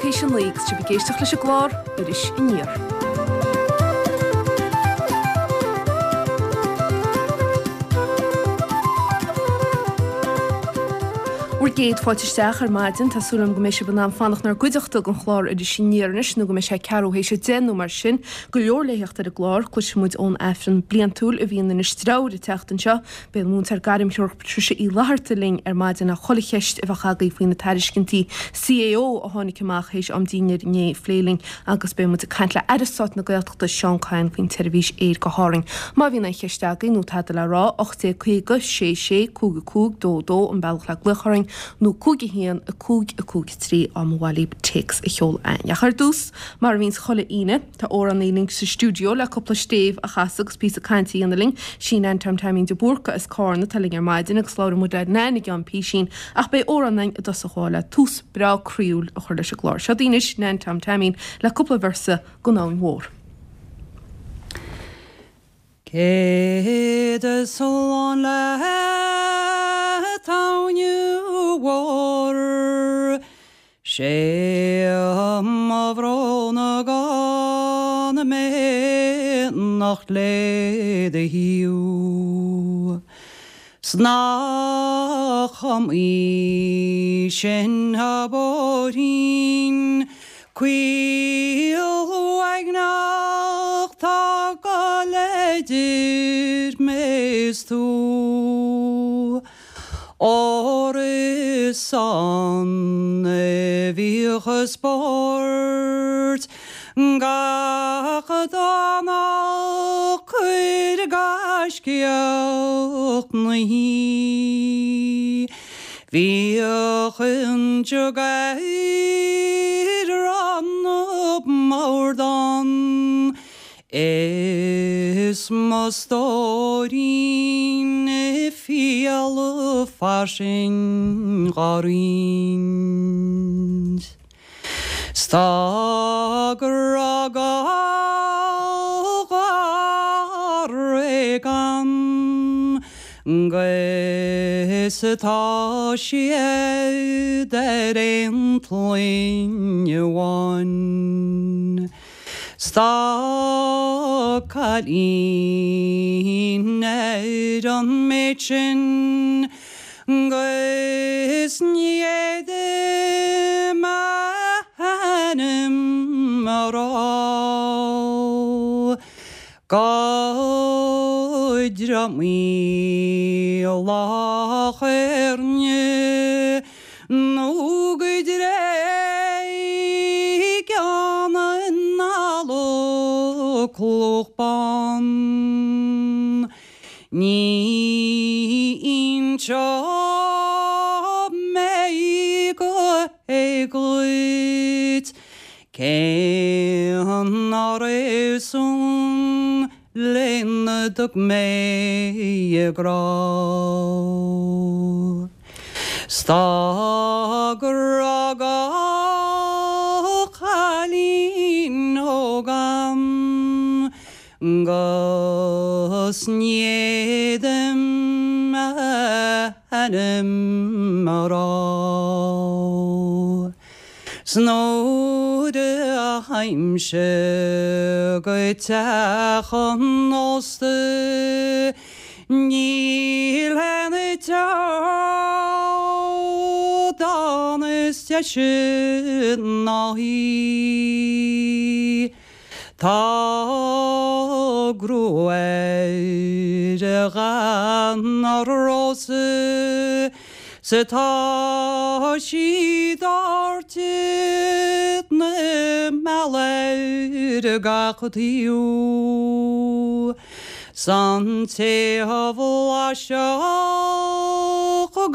théis a 9 agus sibh ag éisteacht leis an gclár Iris Aniar. Bhur gcéad fáilte isteach ar maidin. Tá súil agam go mbeidh sibh in ann fanacht inár gcuideachta don chlár Iris Aniar anois nó go mbeidh sé ceathrú théis a 10 nó mar sin. Go leor le theacht ar an gclár. Cloisfidh muid ón Aifreann bliantúil a bhíonn in Inis Treabhair an tseachtain seo. Beidh an múinteoir gairmthreorach Patricia Uí Fhlatharta linn ar maidin le chuile cheist a bheadh agaibh faoi na tairiscintí CAO a tháinig amach théis am dinnéir inné a phlé linn agus beidh muid ag caint le Aire Stáit na Gaeltachta Seán Kyne faoin tseirbhís aeir go hÁrainn. Má bhíonn aon cheist agaibh nó tada le rá, 1850 66 55 22 an bealach le glaoch orainn nó 5 1 5 5 3 á mba mhaith libh téacs a sheoladh againn. Ach ar dtús, mar a bhíonns chuile Aoine, Tá amhránaí linn sa stiúideo le cúpla stéibh a chasadh agus píosa cainte a dhéanamh linn. Sí Nan Tom Taimín de Búrca as Cárna atá linn ar maidin agus labhróidh muid le Nan i gceann písín ach beidh amhrán againn i dtosach chomh maith le tús breá croíúil a chur leis an gclár. Seo daoibh anois Nan Tom Taimín le cúpla véarsa den Abhainn Mhór. Céad slán leat a Abhainn Mhór, 'Sé mo bhrón gan mé anocht le do thaobh. 'S nach iomaí sin bóithrín caol uaigneach tá ag gol idir mé is tú. Óir is ann a bhíodh spórt gach Domhnach cuir gaiscíoch 'na shuí. Bhíodh an jug ar an mbord ann Is mo stóirín fial fairsing dhá roinnt. 'S tá grá gharraí agam 'gus tá siad ar aon tsloinn amháin. 'S tá cailín ar an méid sin 'gus ní fhéadaim a hainm a rá. Go Droim Loch Éirne Nó go dTráigh Ceann an Fhalla Cloch Bán. Ní inseoidh mé go héag dhuit cén réasún lena dtug mé a grá. 'S tá grá do chailín óg a'm 'gus ní fhéadaim a hainm a rá. 'S nuair a théimse go teach an ósta Níl aon teach ann is deise ná í. Tá gruaig dhall mar rósa 's tá sí doirte 'na mealladh ar gach taobh. 'S an té a bhlaisfeadh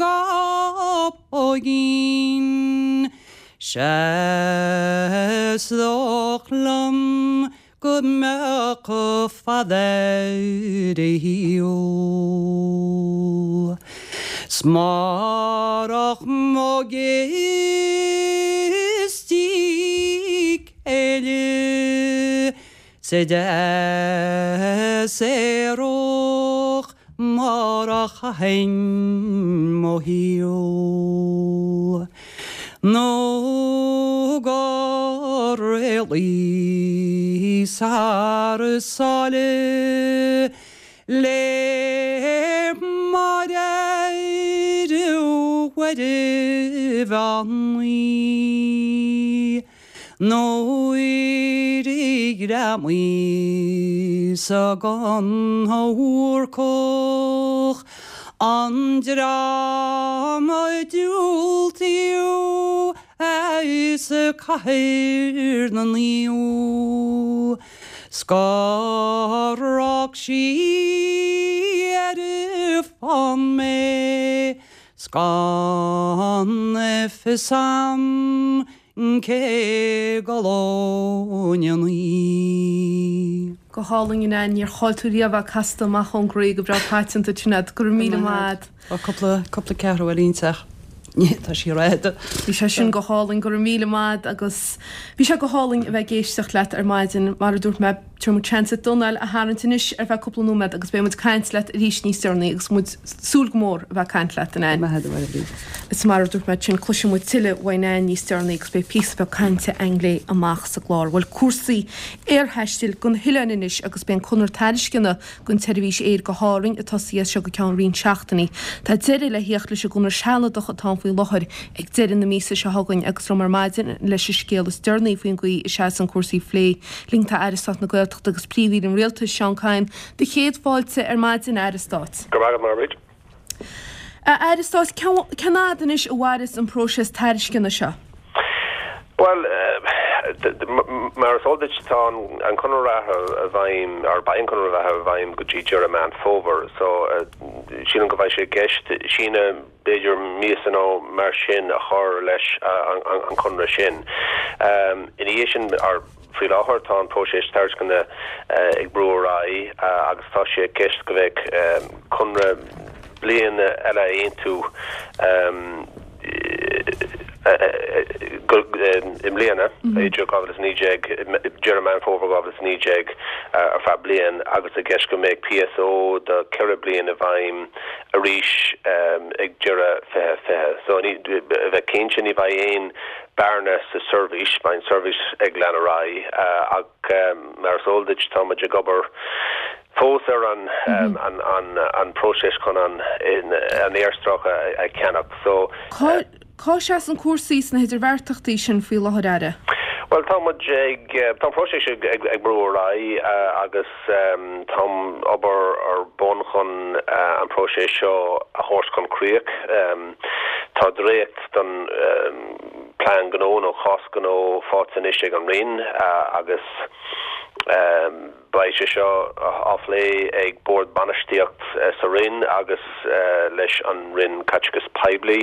dá póigín, 'sea is dóich liom go mbeadh fada ar a shaol. 'S marach mo ghistí céille, Sa deas aerach mar a chaithfinn mo shaol nó go. Réalaí thar sáile le Máire Mhuire Bheannaí Nuair a ghreamaíos gon Bhúrcach an dream a diúltaíodh as Cathair na Naomh 's gur fhág sí ar an bhfán mé 's gan fios a'm cé go lóineann í. Go hálainn a Neain, níor chaill tú riamh é casta amach ón gcroí go breá paiteanta Sinéad. Go raibh míle maith a'd. Tá cúpla, cúpla ceathrú eile inti ach tá sí réidh. Bhí sé sin go hálainn, go raibh míle maith a'd agus bhí sé go hálainn a bheith ag éisteacht leat ar maidin. Mar a dúirt mé, tabharfaidh muid seans duit d'anáil a tharraingt anois ar feadh cúpla nóiméad agus beidh muid ag caint leat arís níos deireanaí agus muid ag súil go mór a bheith ag caint leat, a Neain. Maith agat, a Mháire. Is mar a dúirt mé ansin, cloisfidh muid tuilleadh uaidh Neain níos deireanaí agus beidh píosa beag cainte a'inn léi amach sa gclár. Bhuel, cúrsaí aerthaistil go na hoileáin anois agus beidh an conradh tairisceana don tseirbhís aeir go hÁrainn ag tosaí as seo go ceann roinnt seachtainí. Tá deireadh le theacht leis an gconradh sealadach atá ann faoi láthair ag deireadh na míosa seo chugainn agus liom ar maidin leis an scéal is deireanaí faoin gcaoi a seasann cúrsaí a phlé linn tá Aire Stáit na Gaeltachta agus Príomh-Aoire an Rialtais, Seán Kyne. Do chéad fáilte ar maidin, a Aire Stáit. Go raibh maith agat, a Mhairéad. A Aire Stáit, cén fhad anois a mhairfeas an próiseas tairisceana seo? Bhuel, mar is eol duit, tá an conradh reatha i bhfeidhm, or beidh an conradh reatha i bhfeidhm go dtí deireadh Meán Fómhair. So, sílim go mbeidh sé i gceist síneadh b'fhéidir míosa nó mar sin a chur leis an conradh sin. Ina dhiaidh sin, or Faoi láthair tá an próiseas tairisceana ag brú ar aghaidh agus tá sé i gceist go mbeidh conradh bliana eile a aontú i mbliana, idir 2019, deireadh Meán Fómhair 2019, ar feadh bliain agus i gceist go mbeidh PSO do cheithre bliana i bhfeidhm arís ag deireadh 2020. So, a bheith cinnte ní bheidh aon bearna sa seirbhís, beidh an seirbhís ag lean ar aghaidh ach mar is eol duit tá muid ag obair fós ar an an próiseas chun an an aerstráice a cheannach so. Cá seasann cúrsaí sna hidirbheartachtaí sin faoi láthair, Aire? Bhuel tá muid ag, tá an próiseas ag brú ar aghaidh agus tá obair ar bun chun an próiseas seo a thabhairt chun críoch. Tá dréacht den plean gnó nó cás gnó faighte anois ag an Roinn agus beidh sé seo á phlé ag Bord Bainistíocht sa Roinn agus leis an Roinn Caiteachais Poiblí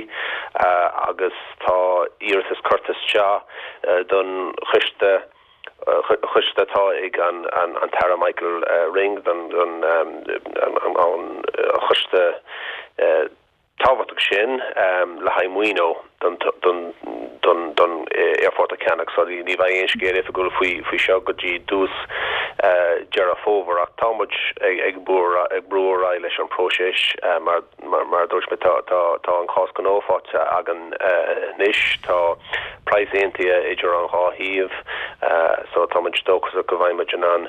agus tá iarratas curtha isteach don choiste choiste atá ag an tAire Michael Ring don choiste tábhachtach sin le haghaidh maoiniú don don aerfort a cheannach. So ní bheidh aon scéal oifigiúil faoi seo go dtí dtús Deireadh Fómhair ach tá muid ag brú ar aghaidh leis an próiseas mar mar a dúirt mé tá tá an cás gnó faighte againn anois. Tá praghas aontaithe idir an dhá thaobh so tá muid dóchasach go mbeidh muid in ann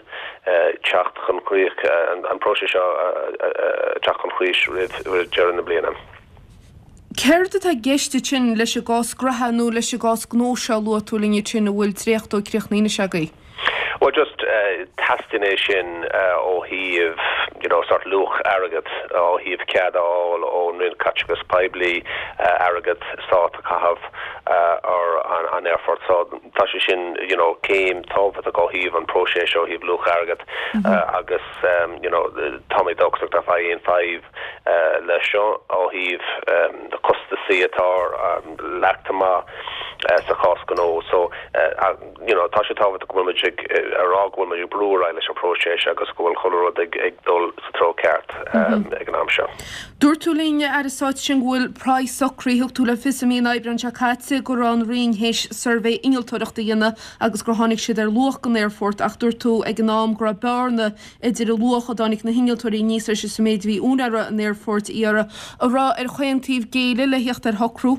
teacht chun críoch, an próiseas seo a teacht chun críche roimh deireadh na bliana. Céard atá i gceist ansin leis an gcás graithe nó leis an gcás gnó seo a luaigh tú linn ansin a bhfuil dréacht dó críochnaithe anois agaibh? Bhuel just teastaíonn é sin ó thaobh you know sort luach airgead, ó thaobh cead a fháil ón Roinn Caiteachais Poiblí airgead stáit a chaitheamh ar an aerfort. So tá sé sin you know céim tábhachtach ó thaobh an próiseas ó thaobh luach airgead agus you know tá mé dóchasach nach mbeidh aon fadhb leis seo ó thaobh na costasaí atá leagtha amach sa chás gnó. So you know tá sé tábhachtach go bhfuil muid ag a rá go bhfuil muid ag brú ar aghaidh leis an próiseas agus go bhfuil chuile rud ag ag dul sa treo ceart ag an am seo. Dúirt tú linn, a Aire Stáit, ansin go bhfuil praghas socraithe. Thug tú le fios i mí an Aibreáin seo caite go raibh an Roinn théis suirbhé innealtóireachta a dhéanamh agus gur tháinig siad ar luach don aerfort ach dúirt tú ag an am go raibh bearna idir an luach a dtáinig na hinnealtóirí aníos leis is an méid a bhí úinéirí an aerfoirt a iarraidh. An raibh ar chaon taobh géilleadh le theacht ar shocrú?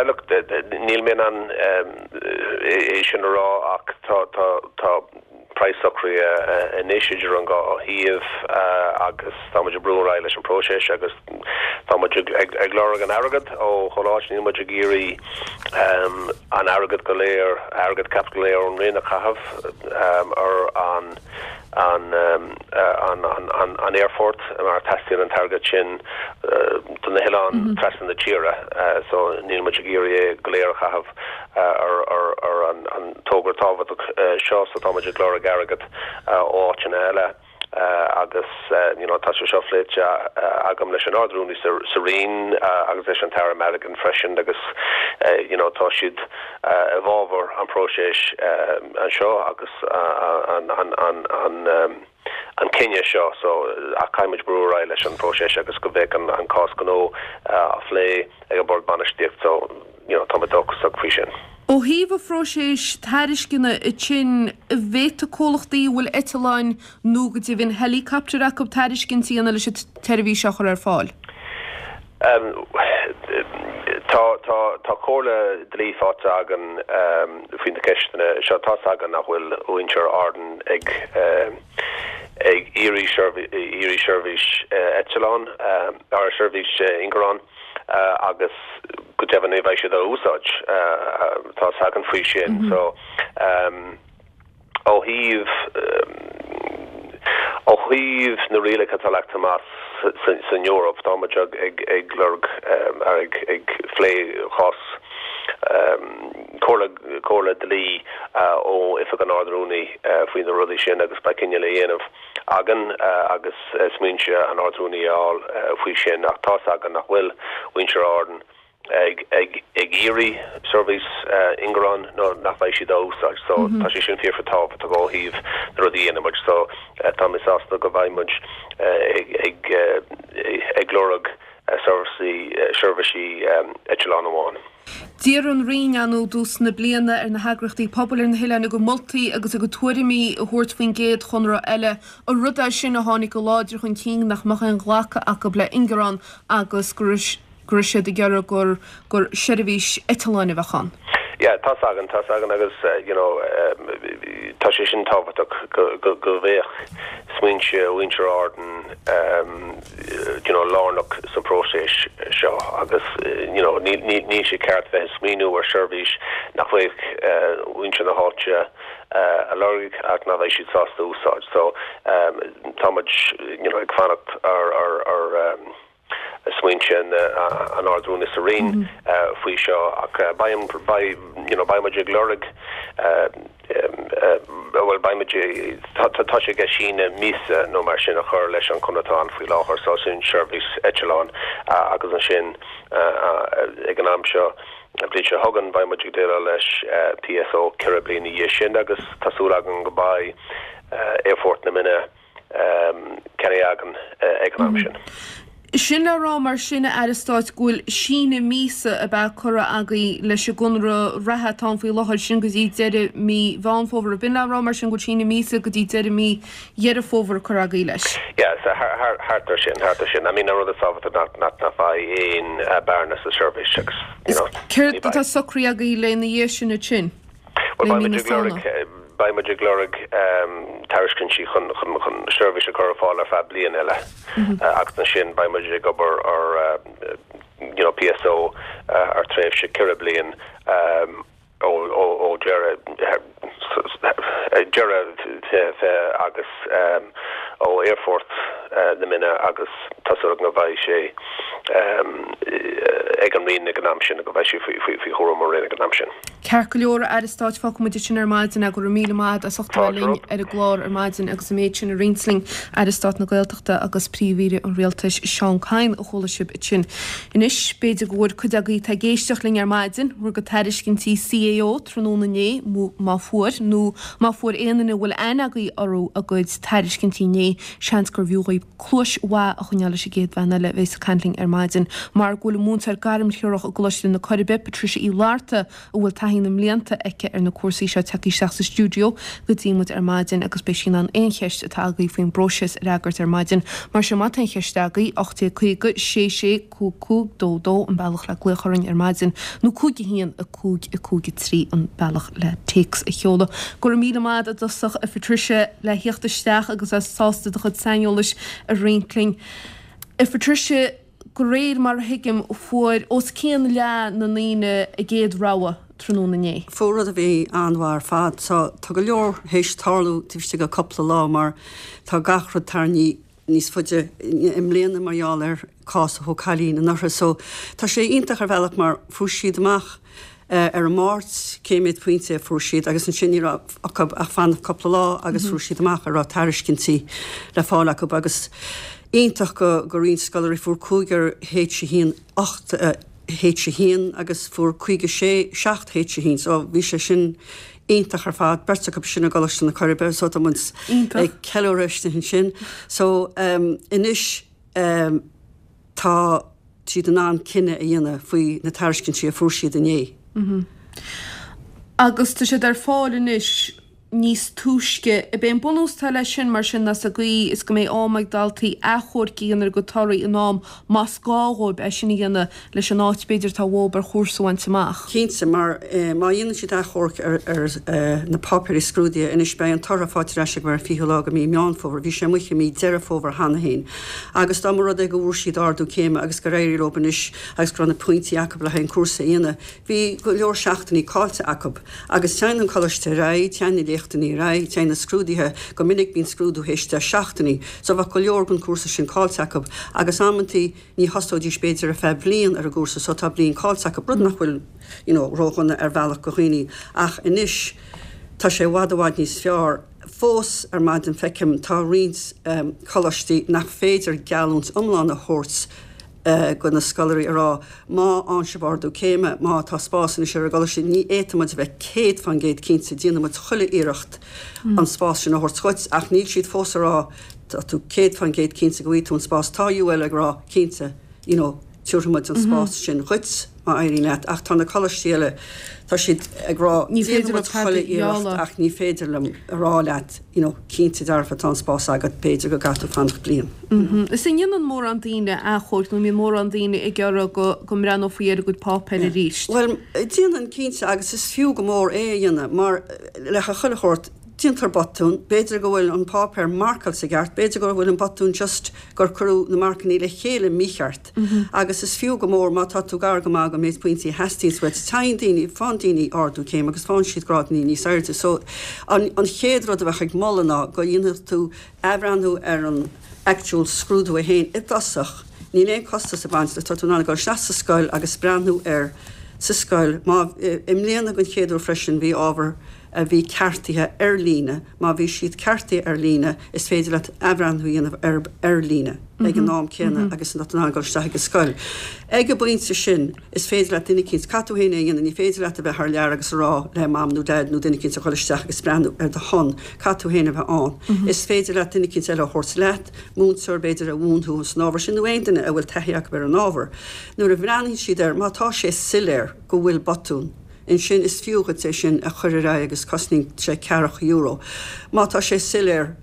Look, níl mé in ann é sin a rá ach tá tá tá praghas socraithe anois idir an dhá thaobh agus tá muid ag brú ar aghaidh leis an bpróiseas agus tá muid ag ag lorg an airgead ó chuile áit. Níl muid ag iarraidh an airgead go léir, airgead caipitil go léir ón Roinn a chaitheamh ar an an an aerfort mar teastaíonn an t-airgead sin do na hoileáin trasna na tíre so níl muid ag iarraidh é go léir a chaitheamh ar ar an togra tábhachtach seo so tá muid ag lorg airgead ó áiteanna eile agus you know tá sé seo pléite agam leis an Ard-Rúnaí sa Roinn agus leis an tAire Madigan freisin agus you know tá siad i bhfabhar an próiseas anseo agus an cinneadh seo so ach caithfidh muid brú ar aghaidh leis an bpróiseas agus go mbeidh an cás gnó á phlé ag an Bord Bainistíochta so you know tá muid dóchasach faoi sin. Ó thaobh an phróiséis tairisceana ansin, an bhféadfaidh comhlachtaí a bhfuil eitleáin nó go deimhin helicopter acu tairiscint a dhéanamh leis an tseirbhís seo a chur ar fáil? Tá, tá, tá comhairle dlí faighte againn faoi na ceisteanna seo. Tá's againn nach bhfuil muintir Árann ag, ag iarraidh iarraidh seirbhís eitleán, or seirbhís ingearán agus go deimhin ní bheidh siad á úsáid. Tá's againn faoi sin. So. Ó thaobh ó thaobh na rialacha atá leagtha amach san Eoraip, tá muid ag ag lorg ag ag phlé chás comhairle comhairle dlí ó Oifig an Ard-Rúnaí faoi na rudaí sin agus beidh cinneadh le dhéanamh againn agus smaointe an Ard-Rúnaí a fháil faoi sin ach tá's againn nach bhfuil muintir Árann ag iarraidh seirbhís ingearán nó nach mbeidh siad á úsáid. So tá sé sin fíor tábhachtach ó thaobh na rudaí a dhéanann muid. So tá mé sásta go mbeidh muid ag ag lorg seirbhísí seirbhísí eitleán amháin. D'iarr an Roinn ann i dtús na bliana ar na heagraíochtaí pobail ar na hoileáin a gcuid moltaí agus a gcuid tuairimí a thabhairt faoin gcéad chonradh eile. An rud é sin a tháinig go láidir chun cinn nach mbeadh aon ghlacadh acu le ingearán agus go raibh go raibh siad ag iarraidh gur gur seirbhís eitleáin a bheadh ann. Yeah, tá's againn, tá's againn agus you know tá sé sin tábhachtach go go go mbeadh smaointe mhuintir Árann you know lárnach sa phróiseas seo agus you know níl níl níl sé ceart bheith ag smaoineamh ar seirbhís nach mbeadh muintir na háite a lorg ach nach mbeidh siad sásta úsáid. So tá muid you know ag fanacht ar ar ar smaointe an Ard-Rúnaí sa Roinn faoi seo ach beidh, beidh, you know, beidh muid ag lorg, bhuel, beidh muid, tá sé ag síneadh míosa nó mar sin a chur leis an chonradh atá ann faoi láthair so sin seirbhís eitleáin agus ansin ag an am seo, an bhliain seo chugainn, beidh muid ag déileáil leis PSO 4 bliana ina dhiaidh sin agus tá súil againn go mbeidh Aerfort na Minne ceannaithe againn ag an am sin. Sin le rá mar sin, a Aire Stáit, go bhfuil síneadh míosa ab ea curtha agaibh leis an gconradh reatha atá ann faoi láthair, sin go dtí deireadh mí Mheán Fómhair. Ab in le rá mar sin go bhfuil síneadh míosa go dtí deireadh mí Dheireadh Fómhair curtha agaibh leis? Yeah, so thart ar sin, thart ar sin. I mean, an rud is tábhachtaí ná nach mbeidh aon bearna sa seirbhís agus, you know, ní bheidh. Céard atá socraithe agaibh lena dhiaidh sin ansin? Bhuel, beidh muid ag lorg, beidh muid ag lorg tairiscintí chun seirbhís a chur ar fáil ar feadh bliain eile agus ansin beidh muid ag obair ar you know PSO ar tréimhse 4 bliain ó deireadh deireadh 2020 agus ó Aerfort na Minne agus tá súil agam go mbeidh sé ag an Roinn ag an am sin, go mbeidh sé faoi chúram an Roinn ag an am sin. Ceart go leor, a Aire Stáit, fágfaidh muid ansin ar maidin é. Go raibh míle maith agat as ucht a bheith linn ar an gclár ar maidin agus an méid sin a roinnt linn. Aire Stáit na Gaeltachta agus Príomh-Aoire an Rialtais, Seán Kyne, a chuala sibh ansin. Anois, b'fhéidir go bhfuair cuid agaibh atá ag éisteacht linn ar maidin bhur gcuid tairiscintí CAO tráthnóna inné, má fuair, nó má fuair aon duine a bhfuil aithne agaibh orthu a gcuid tairiscintí inné, seans gurbh fhiú dhaoibh cluais mhaith a choinneáil leis an gcéad bhean eile a bheas ag caint linn ar maidin. Mar go bhfuil an múinteoir gairmthreorach i gColáiste na Coiribe, Patricia Uí Fhlatharta, a bhfuil taithí. taithí na mblianta aici ar na cúrsaí seo tagtha isteach sa stiúideo go dtí muid ar maidin agus beidh sí in ann aon cheist atá agaibh faoin bpróiseas a fhreagairt ar maidin. Mar sin má tá aon cheist agaibh, 1850 66 55 22 an bealach le glaoch orainn ar maidin nó 5 1 5 5 3 an bealach le téacs a sheoladh. Go raibh míle maith agat i dtosach a Phatricia le theacht isteach agus a bheith sásta do chuid saineolais a roinnt linn. A Phatricia, de réir mar a thuigim, fuair os cionn leath na ndaoine a gcéad rogha tráthnóna inné. Fuair rud a bhí an-mhaith ar fad. Tá go leor théis tarlú taobh istigh de cúpla lá mar tá gach rud tarraingthe níos faide i mbliana mar gheall ar cás a thóg cailín anuraidh. So tá sé iontach ar bhealach mar fuair siad amach ar an Máirt cé méad pointe a fuair siad agus ansin ní raibh acu ach fanacht cúpla lá agus fuair siad amach an raibh tairiscintí le fáil acu agus iontach go go roinnt scoláirí fuair cúigear H1 8 H1 agus fuair 56 7 H1 so bhí sé sin iontach ar fad, beirt acu sin i gColáiste na Coiribe so tá muid ag ceiliúradh istigh ansin. So anois tá siad in ann cinneadh a dhéanamh faoi na tairiscintí a fuair siad inné. Agus tá siad ar fáil anois níos túisce. Ab é an bunús atá leis sin mar sin ná sa gcaoi is go mbeidh am ag daltaí achomharc a dhéanamh ar a gcuid torthaí in am más gá dhóibh é sin a dhéanamh leis an áit b'fhéidir atá uathub ar chúrsa a bhaint amach. Cinnte, mar má dhéanann siad achomharc ar na páipéirí scrúdaithe anois beidh an tortha faighte ar ais acu ar an 20ú lá de mí Meán Fómhair, bhí sé amuigh i mí Deireadh Fómhair cheana féin. Agus dá mba rud é go bhfuair siad ardú céime agus gur éirigh leo anois agus go raibh na pointí acu le haghaidh an cúrsa a dhéanamh, bhí go leor seachtainí caillte acu. Agus téann an coláiste ar aghaidh, téann na léachtanna ar aghaidh, téann na scrúduithe, go minic bíonn scrúdú théis 10 seachtainí, so bheadh go leor den chúrsa sin caillte acu. Agus amantaí ní thosóidís b'fhéidir ar feadh bliain ar an gcúrsa so tá bliain caillte acu, rud nach bhfuil you know ródhona ar bhealach go dhaoine. Ach anois tá sé i bhfad i bhfad níos fearr. Fós ar maidin feicim tá roinnt coláistí nach féidir geallúint iomlán a thabhairt go na scoláirí a rá má fhaigheann sibh ardú céime, má tá spás anois ar an gcoláiste, ní fhéadfaidh muid a bheith 100% cinnte, déanfaidh muid chuile iarracht an spás sin a thabhairt dhuit ach níl siad fós a rá tá tú 100% cinnte go bhfaighidh tú an spás. Tá UL ag rá cinnte you know tabharfaidh muid an spás sin dhuit má éiríonn leat ach tá na coláistí eile, tá siad ag rá déanfaidh muid chuile iarracht ach ní féidir liom a rá leat you know cinnte dearfa tá an spás agat, b'fhéidir go gcaithfidh tú fanacht bliain. Is an ndéanann mórán daoine achomhairc nó an mbíonn mórán daoine ag iarraidh go go mbreathnófaí ar a gcuid páipéir arís? Bhuel, déanann cinnte agus is fiú go mór é a dhéanamh mar le chuile shórt, déantar botún, b'fhéidir go bhfuil an páipéar marcáilte i gceart, b'fhéidir go bhfuil an botún just gur cuireadh na marcannaí le chéile mícheart agus is fiú go mór má tá tú gar go maith don méid pointí a theastaíonns uait. Téann daoine, faigheann daoine ardú céime agus faigheann siad grádannaí níos airde so an an chéad rud a bheadh ag moladh ná go dhéanfadh tú athbhreathnú ar an actual scrúdú é féin i dtosach. Níl aon costas ag baint leis, tá tú in ann a dhul isteach sa scoil agus breathnú air sa scoil. Má, i mbliana den chéad uair freisin bhí ábhar a bhí ceartaithe ar líne, má bhí siad ceartaithe ar líne, is féidir leat athbhreathnú a dhéanamh air ar líne ag an am céanna agus tá tú in ann dul isteach ag an scoil. Ag an bpointe sin, is féidir leat duine eicínt, caithfidh tú féin é a dhéanamh, ní féidir leat a bheith thar lear agus a rá le mam nó dad nó duine eicínt a dhul isteach agus breathnú ar do shon, caithfidh tú féin a bheith ann. Is féidir leat duine eicínt eile a thabhairt leat, múinteoir b'fhéidir a mhúin thú san ábhar sin nó aon duine a bhfuil taithí acu ar an ábhar. Nuair a bhreathnaíonn siad air, má tá sé soiléir go bhfuil botún, ansin is fiú dhuit é sin a chur ar aghaidh agus cosnaíonn sé ceathracha euro. Má tá sé soiléir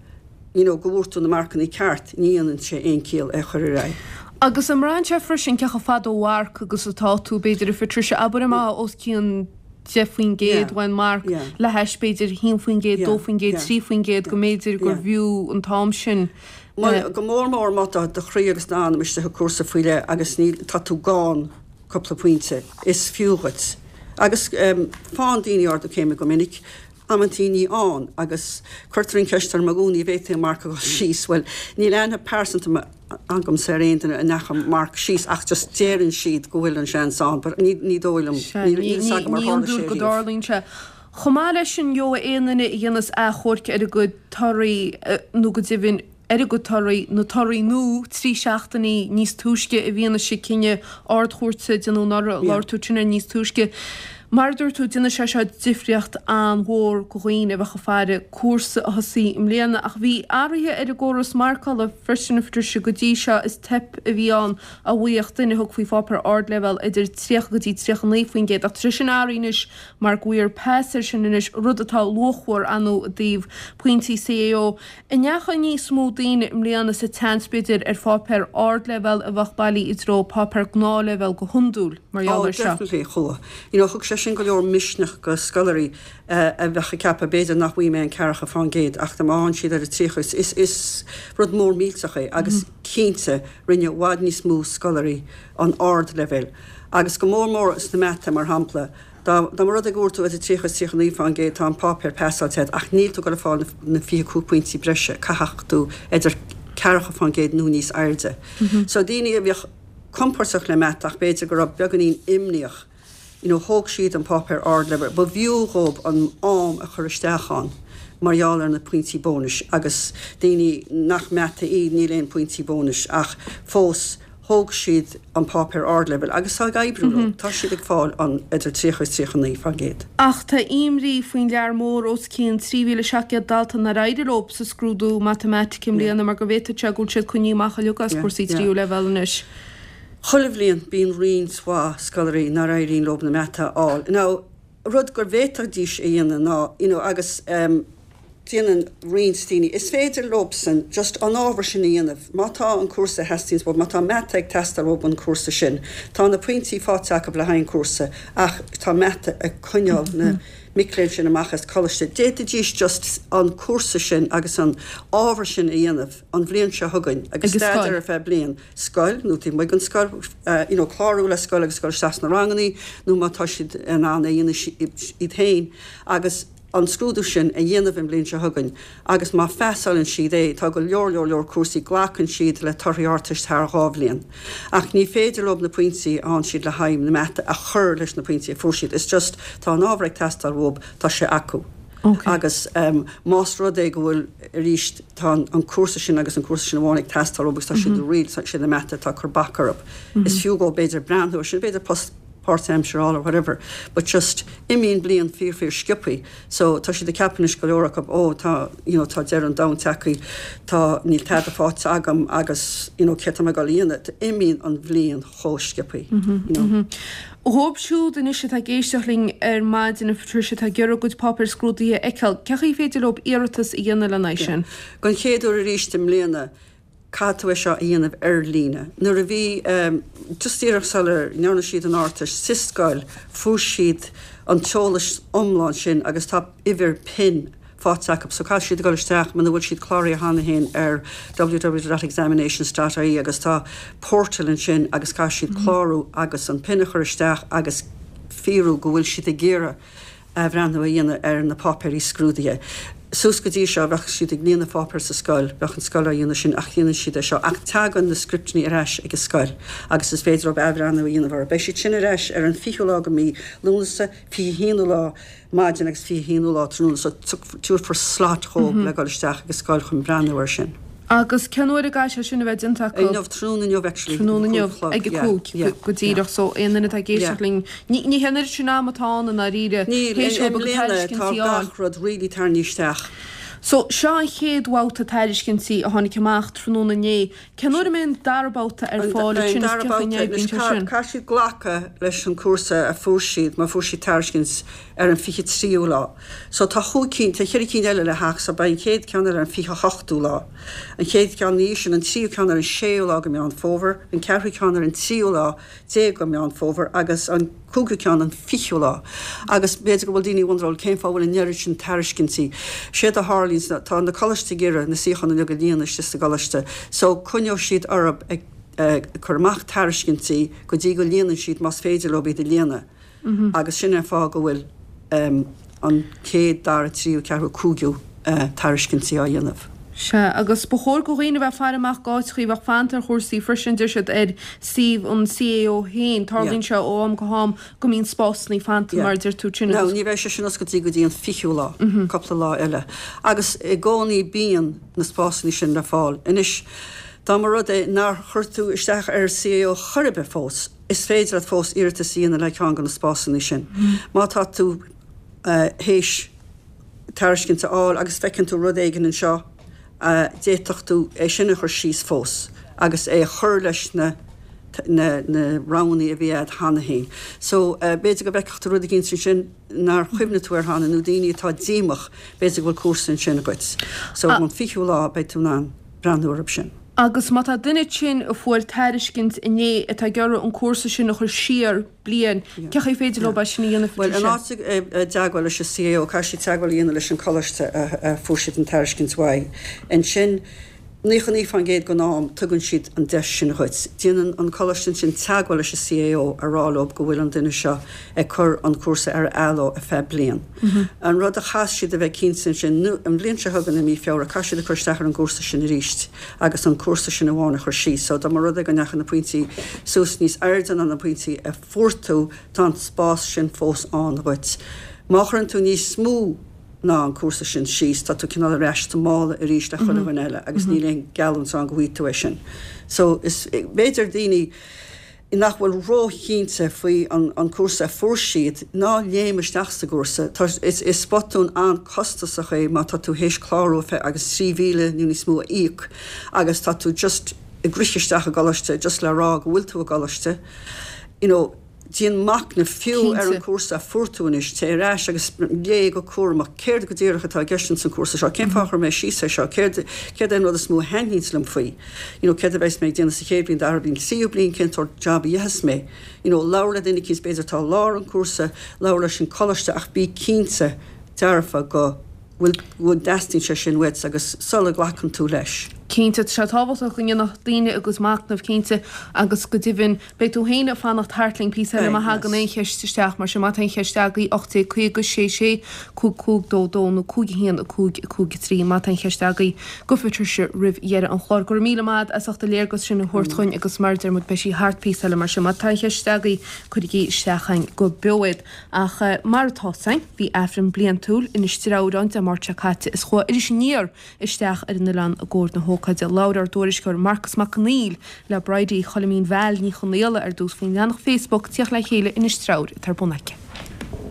you know go bhfuair tú na marcannaí ceart, ní dhéanann sé aon ciall é a chur ar aghaidh. Agus an mbraitheann sé freisin cé chomh fada ó mharc agus atá tú, b'fhéidir, a Phatricia, abair má os cionn 10% uain marc le hais b'fhéidir 1%, 2%, 3% go mb'fhéidir gur bhfiú an t-am sin. Bhuel, go mór mór má tá do chroí agus d'anam istigh i gcúrsa faoi leith agus níl, tá tú gann cúpla pointe, is fiú dhuit. Agus faigheann daoine ardú céime go minic, amantaí ní fhaigheann, agus cuirtear an cheist orm i gcónaí, an bhféadfaidh an marc a dhul síos? Bhuel, níl aithne pearsanta agamsa ar aon duine a ndeachaigh marc síos ach just deireann siad go bhfuil an seans ann, but ní, ní dóigh liom, níl a fhios agam ar tharla sé riamh. Ní hiondúil go dtarlaíonn sé. Chomh maith leis sin, gheobhaidh aon duine a dhéanas achomharc ar a gcuid torthaí, nó go deimhin, ar a gcuid torthaí, na torthaí nua, 3 seachtainí níos túisce i bhfianaise cinneadh Ard-Chúirte déanadh anuraidh, labhair tú ansin ar níos túisce. Mar a dúirt tú, déanfaidh sé seo difríocht an-mhór go dhaoine a bheadh ag faire cúrsa a thosaí i mbliana. Ach bhí athruithe ar an gcóras marcála freisin, a Phatricia, go dtí seo is teip a bhí ann a bhfaigheadh duine a thug faoi pháipéar ardleibhéil idir 30 go dtí 39% ach tá sé sin athraithe anois mar go bhfaighfear pas air sin anois, rud atá luachmhar, ar ndóigh, i dtaobh pointí CAO. An ndeachaigh níos mó daoine i mbliana sa tseans, b'fhéidir, ar pháipéar ardleibhéil a bheadh bailí i dtreo páipéar gnáthleibhéil go hiondúil mar gheall Oh, air seo? definitely, chuaigh. You know, thug sé sin go leor misneach go scoláirí a bheadh ag ceapadh, b'fhéidir nach bhfaighidh mé an 40% ach dá mba fhaigheann siad ar an 30, is, is, is rud mór millteach é agus cinnte rinne i bhfad níos mó scoláirí an ardleibhéal agus go mór mór sna mata, mar shampla. Dá mba rud é go bhfuair tú idir 30 is 39%, tá an páipéar pasáilte agat, ach níl tú ag dul a fáil na 25 pointí breise, caithfidh tú idir 40% nó níos airde. So daoine a bheadh compordach le mata ach b'fhéidir go raibh beagáinín imníoch, you know, thóg siad an páipéar ardleibhéil, ba bhfiú dhóibh an am a chur isteach ann mar gheall ar na pointí bónais agus daoine nach mata iad, níl aon pointí bónais ach fós, Thóg siad an páipéar ardleibhéil agus tá ag oibriú leo. Tá siad ag fáil an idir 30 is 39%. Ach tá imní faoin lear mór os cionn 3,700 dalta nár éirigh leo sa scrúdú matamaitice i mbliana mar go bhféadfadh sé go bhfuil siad coinnithe amach uilig as cúrsaí tríú leibhéal anois. Chuile bhliain bíonn roinnt mhaith scoláirí nár éiríonn leo na mata a fháil. Now, rud gur bhféadfaidís a dhéanamh ná, you know, agus ehm, déanann roinnt daoine, is féidir leobsan just an ábhar sin a dhéanamh, má tá an cúrsa a theastaíonns uathu, má tá mata ag teastáil uathu an cúrsa sin, tá na pointí faighte acu le haghaidh an cúrsa ach tá mata ag coinneáil na mic léinn sin amach as coláiste, d'fhéadfaidís just an cúrsa sin agus an ábhar sin a dhéanamh an bhliain seo chugainn agus staidéar ar feadh bliain. scoil nó taobh amuigh den scoil, you know clárú le scoil agus dul isteach sna rangannaí nó má tá siad in ann é a dhéanamh iad féin agus an scrúdú sin a dhéanamh an bhliain seo chugainn agus má phasálann siad é, tá go leor leor leor cúrsaí, glacann siad le torthaí Ardteist thar 2 bhliain ach ní féidir leo na pointí a fhaigheann siad le haghaidh na mata a chur leis na pointí a fuair siad, it's just tá an ábhar ag teastáil uathu, tá sé acu. Agus más rud é go bhfuil, arís, tá an cúrsa sin agus an cúrsa sin amháin ag teastáil uathu agus tá siad really, sé na mata atá ag cur bac orthu. Is fiú dhóibh b'fhéidir breathnú ar sin, b'fhéidir post páirtaimseartha a fháil or whatever, but just imíonn bliain fíor fíor sciobthaí. So tá siad ag ceapadh anois go leor acu, oh tá, you know, tá deireadh an domhain tagtha, tá, níl tada faighte agam agus, you know, céard tá mé ag dul a dhéanamh? Imíonn an bhliain chomh sciobthaí, you know. Dhóibh siúd anois atá ag éisteacht linn ar maidin, a Phatricia, atá ag iarraidh a gcuid páipéir scrúdaithe a fheiceáil, cén chaoi féidir leo iarratas a dhéanamh lena aghaidh sin? Don chéad uair arís i mbliana, caithfidh tú é seo a dhéanamh ar líne. Nuair a bhí, just díreach sula ndearna siad an Ardteist sa scoil, fuair siad an t-eolas iomlán sin agus tá uimhir pin faighte acu so caithfidh siad a dhul isteach muna bhfuil siad cláraithe cheana féin ar www.examinations.ie agus tá portal ansin agus caithfidh siad clárú agus an pin a chur isteach agus fíorú go bhfuil siad ag iarraidh athbhreathnú a dhéanamh ar na páipéirí scrúdaithe. Suas go dtí seo bheadh siad ag líonadh pháipéir sa scoil, bheadh an scoil á dhéanamh sin ach déanann siad é seo ach tagann na scripteanna ar ais ag an scoil agus is féidir leo athbhreathnú a dhéanamh orthu. Beidh siad sin ar ais ar an 20ú lá de mhí Lúnasa, 21ú lá maidin agus 21ú lá tráthnóna so tabharfar slot dhóibh le dhul isteach ag an scoil chun breathnú air sin. Agus cén uair a gcaithfidh sé sin a bheith déanta acu? Inniu, tráthnóna inniu actually, Tráthnóna inniu, ag a cúig, go díreach, so aon duine atá ag éisteacht linn, ní hé an oiread sin ama atá ann i ndáiríre, Níl, i mbliana tá gach rud really tarraingthe isteach. So, seo an chéad bhabhta tairiscintí a tháinig amach tráthnóna inné. Cén uair a mbeidh an dara babhta ar fáil ansin is cén chaoi a n-oibríonn sé sin? Caithfidh siad glacadh leis an cúrsa a fuair siad, má fuair siad tairiscint ar an 23ú lá. So tá chúig cinn, tá cheithre cinn eile le theacht, so beidh an chéad ceann eile ar an 28ú lá. An chéad cheann ina dhiaidh sin, an tríú ceann ar an séú lá de Meán Fómhair, an ceathrú ceann ar an tríú lá déag de Mheán Fómhair agus an cúigiú ceann an fichiú lá. Agus b'fhéidir go bhfuil daoine ag wonderáil cén fáth a bhfuil an oiread sin tairiscintí. Séard a tharlaíonns ná tá na coláistí ag iarraidh na suíocháin uilig a líonadh istigh sa gcoláiste so coinneoidh siad orthu ag cur amach tairiscintí go dtí go líonann siad más féidir leo iad a líonadh. Agus sin é an fáth go bhfuil an chéad, dara, tríú, ceathrú, cúigiú tairiscintí á dhéanamh. Sea, agus ba chóir go dhaoine a bheith ag faire amach d'áiteachaí a bheadh fanta ar chúrsaí freisin, deir siad, ar suíomh an CAO féin. Tarlaíonn sé ó am go ham go mbíonn spásanna fanta, mar a deir tú, sin agus. Now, ní bheidh sé sin oscailte go dtí an fichiú lá, cúpla lá eile. Agus i gcónaí bíonn na spásanna sin le fáil. Anois. Dá mba rud é nár chuir tú isteach ar CAO chor ar bith fós, is féidir leat fós iarratas a dhéanamh le ceann de na spásanna sin. Má tá tú théis tairiscint a fháil agus feiceann tú rud éigin anseo, d'fhéadfadh tú é sin a chur síos fós agus é a chur leis na na na roghanna a bhí agat cheana féin. So, b'fhéidir go bhfeicfeadh tú rud eicínt ansin nár chuimhnigh tú air cheana nó daoine atá díomách, b'fhéidir go bhfuil cúrsa ansin dhuit. So, an fichiú lá beidh tú in ann breathnú orthu sin. Agus má tá duine tinn a fuair tairiscint inné atá ag iarraidh an cúrsa sin a chur siar bliain, cén chaoi féidir leo é sin a dhéanamh, Bhuel, in áit i dteagmháil leis an CAO, caithfidh siad teagmháil a dhéanamh leis an coláiste a fuair siad an tairiscint uaidh. Ansin, 99% den am, tugann siad an deis sin dhuit. Déanann an coláiste ansin teagmháil leis an CAO a rá leo go bhfuil an duine seo ag cur an cúrsa ar athló ar feadh bliain. An rud a chaithfeas siad a bheith cinnte ansin, nó an bhliain seo chugainn i mí Feabhra, caithfidh siad a cur isteach ar an gcúrsa sin arís agus an cúrsa sin amháin a chur síos. So dá mba rud é go ndeachaigh na pointí suas níos airde ná na pointí a fuair tú, tá an spás sin fós ann dhuit. Má chuireann tú níos mó ná an cúrsa sin síos, tá tú cineál ar ais sa mála arís le chuile dhuine eile agus níl aon gheallúint ann go bhfaighidh tú é sin. So is b'fhéidir daoine nach bhfuil róchinnte faoi an cúrsa a fuair siad, ná léim isteach sa gcúrsa. Tá, is botún an-costasach é má tá tú théis clárú agus 3,000 nó níos mó a íoc agus tá tú just ag rith isteach i gcoláiste just le rá go bhfuil tú i gcoláiste. You know, déan machnamh fiú ar an cúrsa a fuair tú anois, téigh ar ais agus léigh go cúramach céard go díreach atá i gceist ins an cúrsa seo, cén fáth a chuir mé síos é seo, céard, céard é an rud is mó a thaitníonns liom faoi. you know céard a bheas mé ag déanamh sa chéad bhliain, dara bliain, tríú bliain, cén sórt job a dhéanfas mé, you know labhair le duine eicínt b'fhéidir atá i lár an cúrsa, labhair leis an coláiste ach bí cinnte dearfa go bhfuil, go dteastaíonn sé sin uait agus sula nglacann tú leis. Cinnte, tá sé tábhachtach go ndéanfadh daoine a gcuid machnaimh, cinnte, agus go deimhin, Beidh tú féin ag fanacht thart linn píosa eile má thagann aon cheist isteach, mar sin má tá aon cheist agaibh, 1850 6 6 5 5 2 2 nó 5 1 5 5 3 má tá aon cheist agaibh do Phatricia roimh dheireadh an chláir. Go raibh míle maith agat as ucht an léargas sin a thabhairt chugainn agus mar a deir muid beidh sí thart píosa eile mar sin má tá aon cheist agaibh cuirigí isteach chugainn go beo iad. Ach mar atá 's againn bhí Aifreann bliantúil in Inis Treabhráin Dé Máirt seo caite is chuaigh Iris Aniar isteach ar an oileán i gcomhair na hócáide. Labhair ár dtuairisceoir Marcas Mac Conghail le Bridie Choilimín Val Ní Chonaola ar dtús faoin leathanach Facebook Tíocht le Chéile Inis Treabhair atá ar bun aici.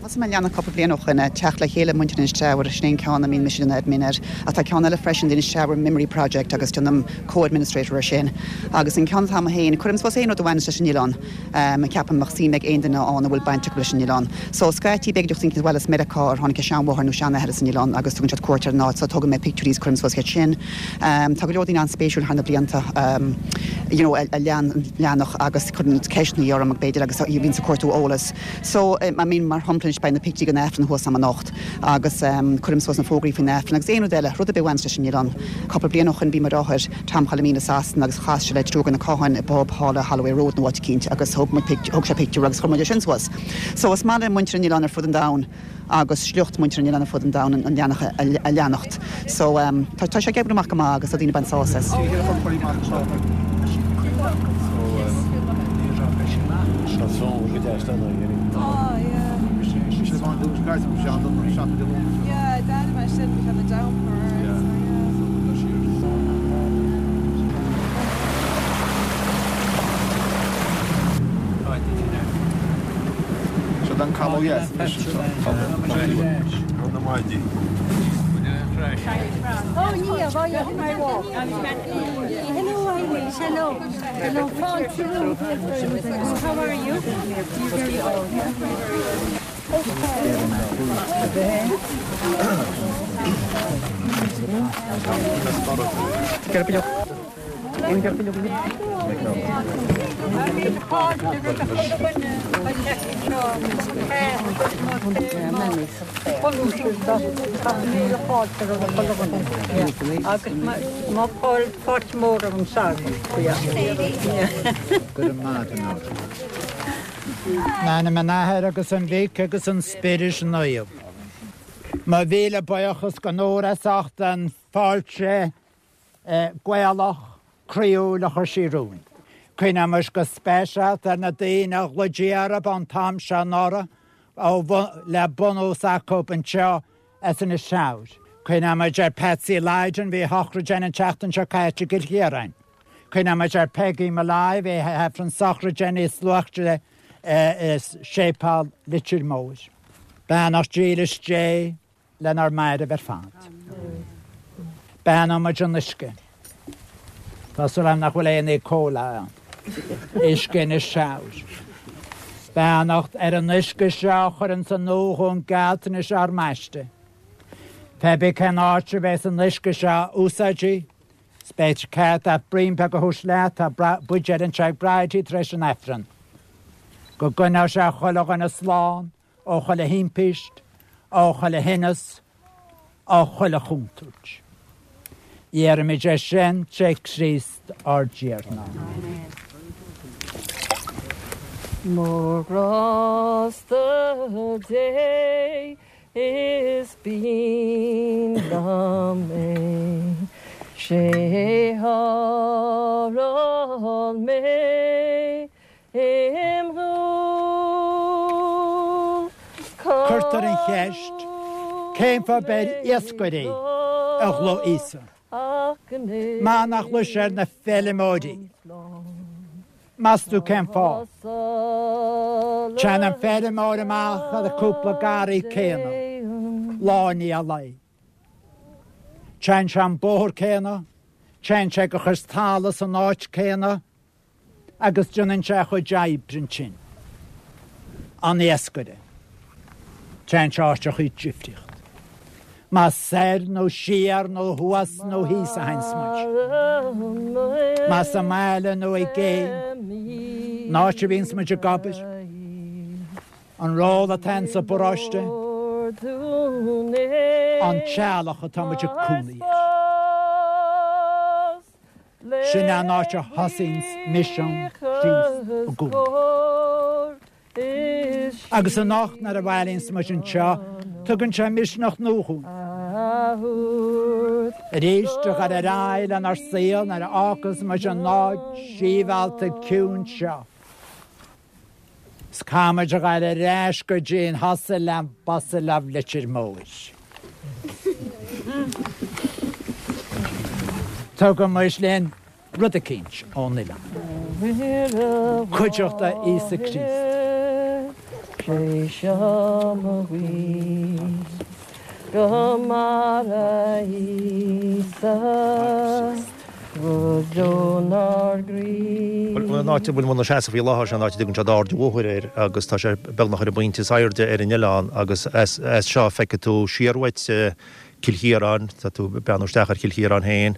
Thosaigh mé an leathanach cúpla bliain ó shoin, Teacht le Chéile Muintir Inis Treabhair, sin é an ceann a mbíonn mise ina admin air. Ach tá ceann eile freisin, The Inis Treabhair Memory Project agus déanaim co-administrator ar sin. Agus an ceann atá agam féin, cuirim suas aon rud a bhaineas leis an oileán. Ceapaim go mbeadh suim ag aon duine ann a bhfuil baint acu leis an oileán. So, scaití b'fhéidir daoine ag baile as Meiriceá ar tháinig a seanmháthair nó seanathair as an oileán agus tugann siad cuairt ar an áit so tógann mé pictiúirí is cuirim suas iad sin. Tá go leor daoine an-spéisiúil thar na blianta you know a lean an leathanach agus cuireann ceisteanna orm b'fhéidir agus bhíonn ag cuartú eolas. So, I mean mar shampla anois beidh na pictiúirí den Aifreann thuas agam anocht agus cuirim suas na fógraí faoin Aifreann agus aon rud eile, rud ar bith a bhaineas leis an oileán. Cúpla bliain ó shoin bhí mo dheartháir, Tom Choilimín i Sasana agus chas sé le triúr de na Catháin i bpub thall i Holloway Road nó áit eicínt agus thóg muid pic, thóg sé pictiúr agus chuir muid é sin suas. So is maith le muintir an oileáin ar fud an domhain agus sliocht muintir an oileáin ar fud an domhain an leathanach a leanacht. So tá, tá sé ag oibriú amach go maith agus tá daoine ag baint sásamh as. In ainm an Athar agus an Mhic agus an Spioraid Naomh. Mo mhíle buíochas go Nóra as ucht an fáilte Gaelach croíúil a chuir sí romhainn. Cuimhneoimis go speisialta ar na daoine a ghlaoití orthu an t-am seo anuraidh le bunús acu anseo as Inis Treabhair. Cuimhneoimid ar Patsy Lydon, bhí a shochraid againn an tseachtain seo caite i gCill Chiaráin. Cuimhneoidh muid ar Peggy Molloy, bhí a hAifreann sochraide níos luaithe i Séipéal Leitir Móir. Beannacht dílis Dé lenár mairbh ar fad. Beannóidh muid an uisce. Tá súil agam nach bhfuil aon E. coli ann. Uisce Inis Treabhair. Beannacht ar an uisce seo a chuireanns an nua dhúinn gealltanais ár mbaiste. Pé bith cén áit a bheas an uisce seo úsáidte, 's beidh cead a't braon beag a thabhairt leat, tá buidéal anseo ag Bridie tar éis an Aifrinn. Go gcoinneoidh sé chuile dhuine slán ó chuile thimpist, ó chuile thinneas, ó chuile chontúirt. Iarraimid é sin tré Chríost ár dTiarna. Mórghrásta Dé Is binn liom é, 'sé sháráil mé im dhúil. Cuirtear an cheist, cén fáth ab ar iascairí a ghlaoigh Íosa? Má nach ghlaoigh sé ar na feilméaraí? Meas tú cén fáth? Téann an feirmeoir amach ar an cúpla garraí céanna, lá i ndiaidh lae. Téann sé an bóthar céanna, téann sé ag a chuid talamh san áit céanna agus déanann sé a chuid oibre ansin. An iascaire. Téann sé áiteachaí difríocht. Más soir nó siar nó thuas nó thíos a théanns muid. Más i mbaile nó i gcéin, an áit a bhíonns muid ag obair, an ról atá againn sa bparóiste, an teaghlach atá muid ag cónaí air. Sin é an áit a thosaíonns misean Chríost i gcónaí. Agus anocht nuair a bhailíonns muid anseo, tugann sé misneach nua dhúinn. Arís a dhul ar aghaidh lenár saol nuair a fhágas muid an áit síbhealta ciúin seo. 'S caithfidh muid a dhul ar ais go dtí an hustle and bustle of Leitir Móir. Tugaimid linn rud eicínt ón oileán. Cuideachta Íosa Críost. Bhuel, an áit a bhfuil muid inár seasamh faoi láthair, sin an áit a dtugann siad Ard an Bhóthair air agus tá sé beagnach ar an bpointe is airde ar an oileán agus as seo feicfidh tú siar uait Cill Chiaráin, tá tú ag breathnú isteach ar Chill Chiaráin féin.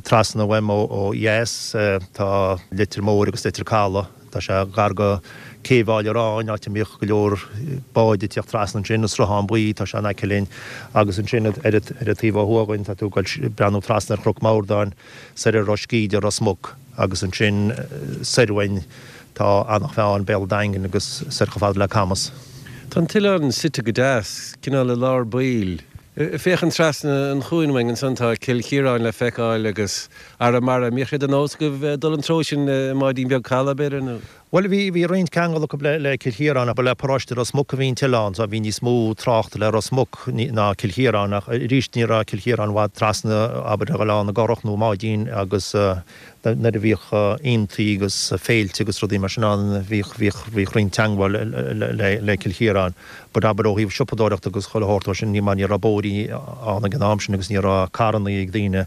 Trasna uaim ó dheas tá Leitir Móir agus Leitir Caladh. Tá sé gar go Cé Bhaile Aráin, áit a mbíodh go leor báid ag tíocht trasna ansin, an Sruthán Buí, tá sé in aice linn. Agus ansin ar an taobh ó thuaidh againn tá tú ag breathnú trasna ar Chnoc Mordáin, soir ar Ros Gíde, Ros Muc agus ansin soir uainn tá Eanach Mheáin, Béal an Daingin agus soir chomh fada le Camas. Tá an t-oileán suite go deas, cineál i lár baill. Féachaint trasna an chuain uainn ansan tá Cill Chiaráin le feiceáil agus Arramara. An mbíodh sé de nós agaibh dul an treo sin i mbáidín beag calaidh, b'fhéidir, nó? Bhuel, bhí, bhí roinnt ceangal acu le, le Cill Chiaráin ach ba le paróiste Ros Muc a bhí an t-oileán so bhí níos mó tráchta le Ros Muc ná Cill Chiaráin ach arís ní raibh Cill Chiaráin i bhfad trasna, abair, ar Oileán na gCurrach nó i mbáidín agus nuair a bhíodh aontaí agus féilte agus rudaí mar sin ann bhíodh, bhíodh, bhíodh roinnt teangmháil le, le Cill Chiaráin. But abair ó thaobh siopadóireachta agus chuile shórt mar sin ní mar ní raibh bóithrí ann ag an am sin agus ní raibh carrannaí ag daoine,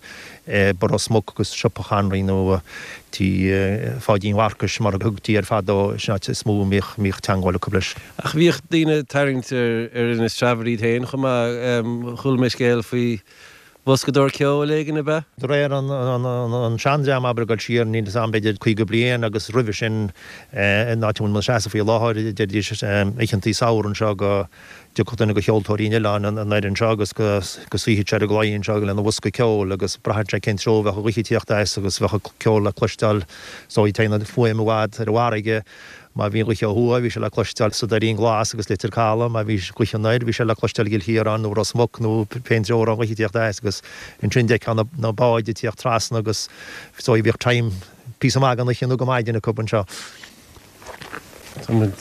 ba Ros Muc agus siopa Chonraí nó tí Pháidín Mharcais mar a thugtaí air fadó, sin áit is mó a mbíodh, mbíodh teangmháil acu leis. Ach bhíodh daoine ag tarraingt ar, ar Inis Treabhair iad féin chomh maith. Chuala mé scéal faoi Bhoscadóir ceoil éigin, ab ea? De réir an seandream, abair, ag dul siar, níl 'fhios a'm, b'fhéidir 50 bliain agus roimhe sin, in áit a bhfuil muid inár seasamh faoi láthair, deiridís oícheantaí samhraidh anseo go dtiocfadh duine de cheoltóirí an oileáin anoir anseo agus go suífeadh sé ar an gclaí anseo lena bhosca ceoil agus braitheann sé cén treo a bheadh an ghaoth ag tíocht as agus bheadh an ceol le cloisteáil so téann an fuaim i bhfad ar an bhfarraige. Má bhí an ghaoth ó thuaidh, bhí sé le cloisteáil sa Doirín Glas agus Leitir Caladh. Má bhí gaoth anoir, bhí sé le cloisteáil i gCill Chiaráin nó Ros Muc nó pén treo a raibh an ghaoth ag tíocht as agus ansin d'fheicfeá na báid ag tíocht trasna agus so bhíodh time píosa maith den oíche nó go maidin acu anseo. Tá muid.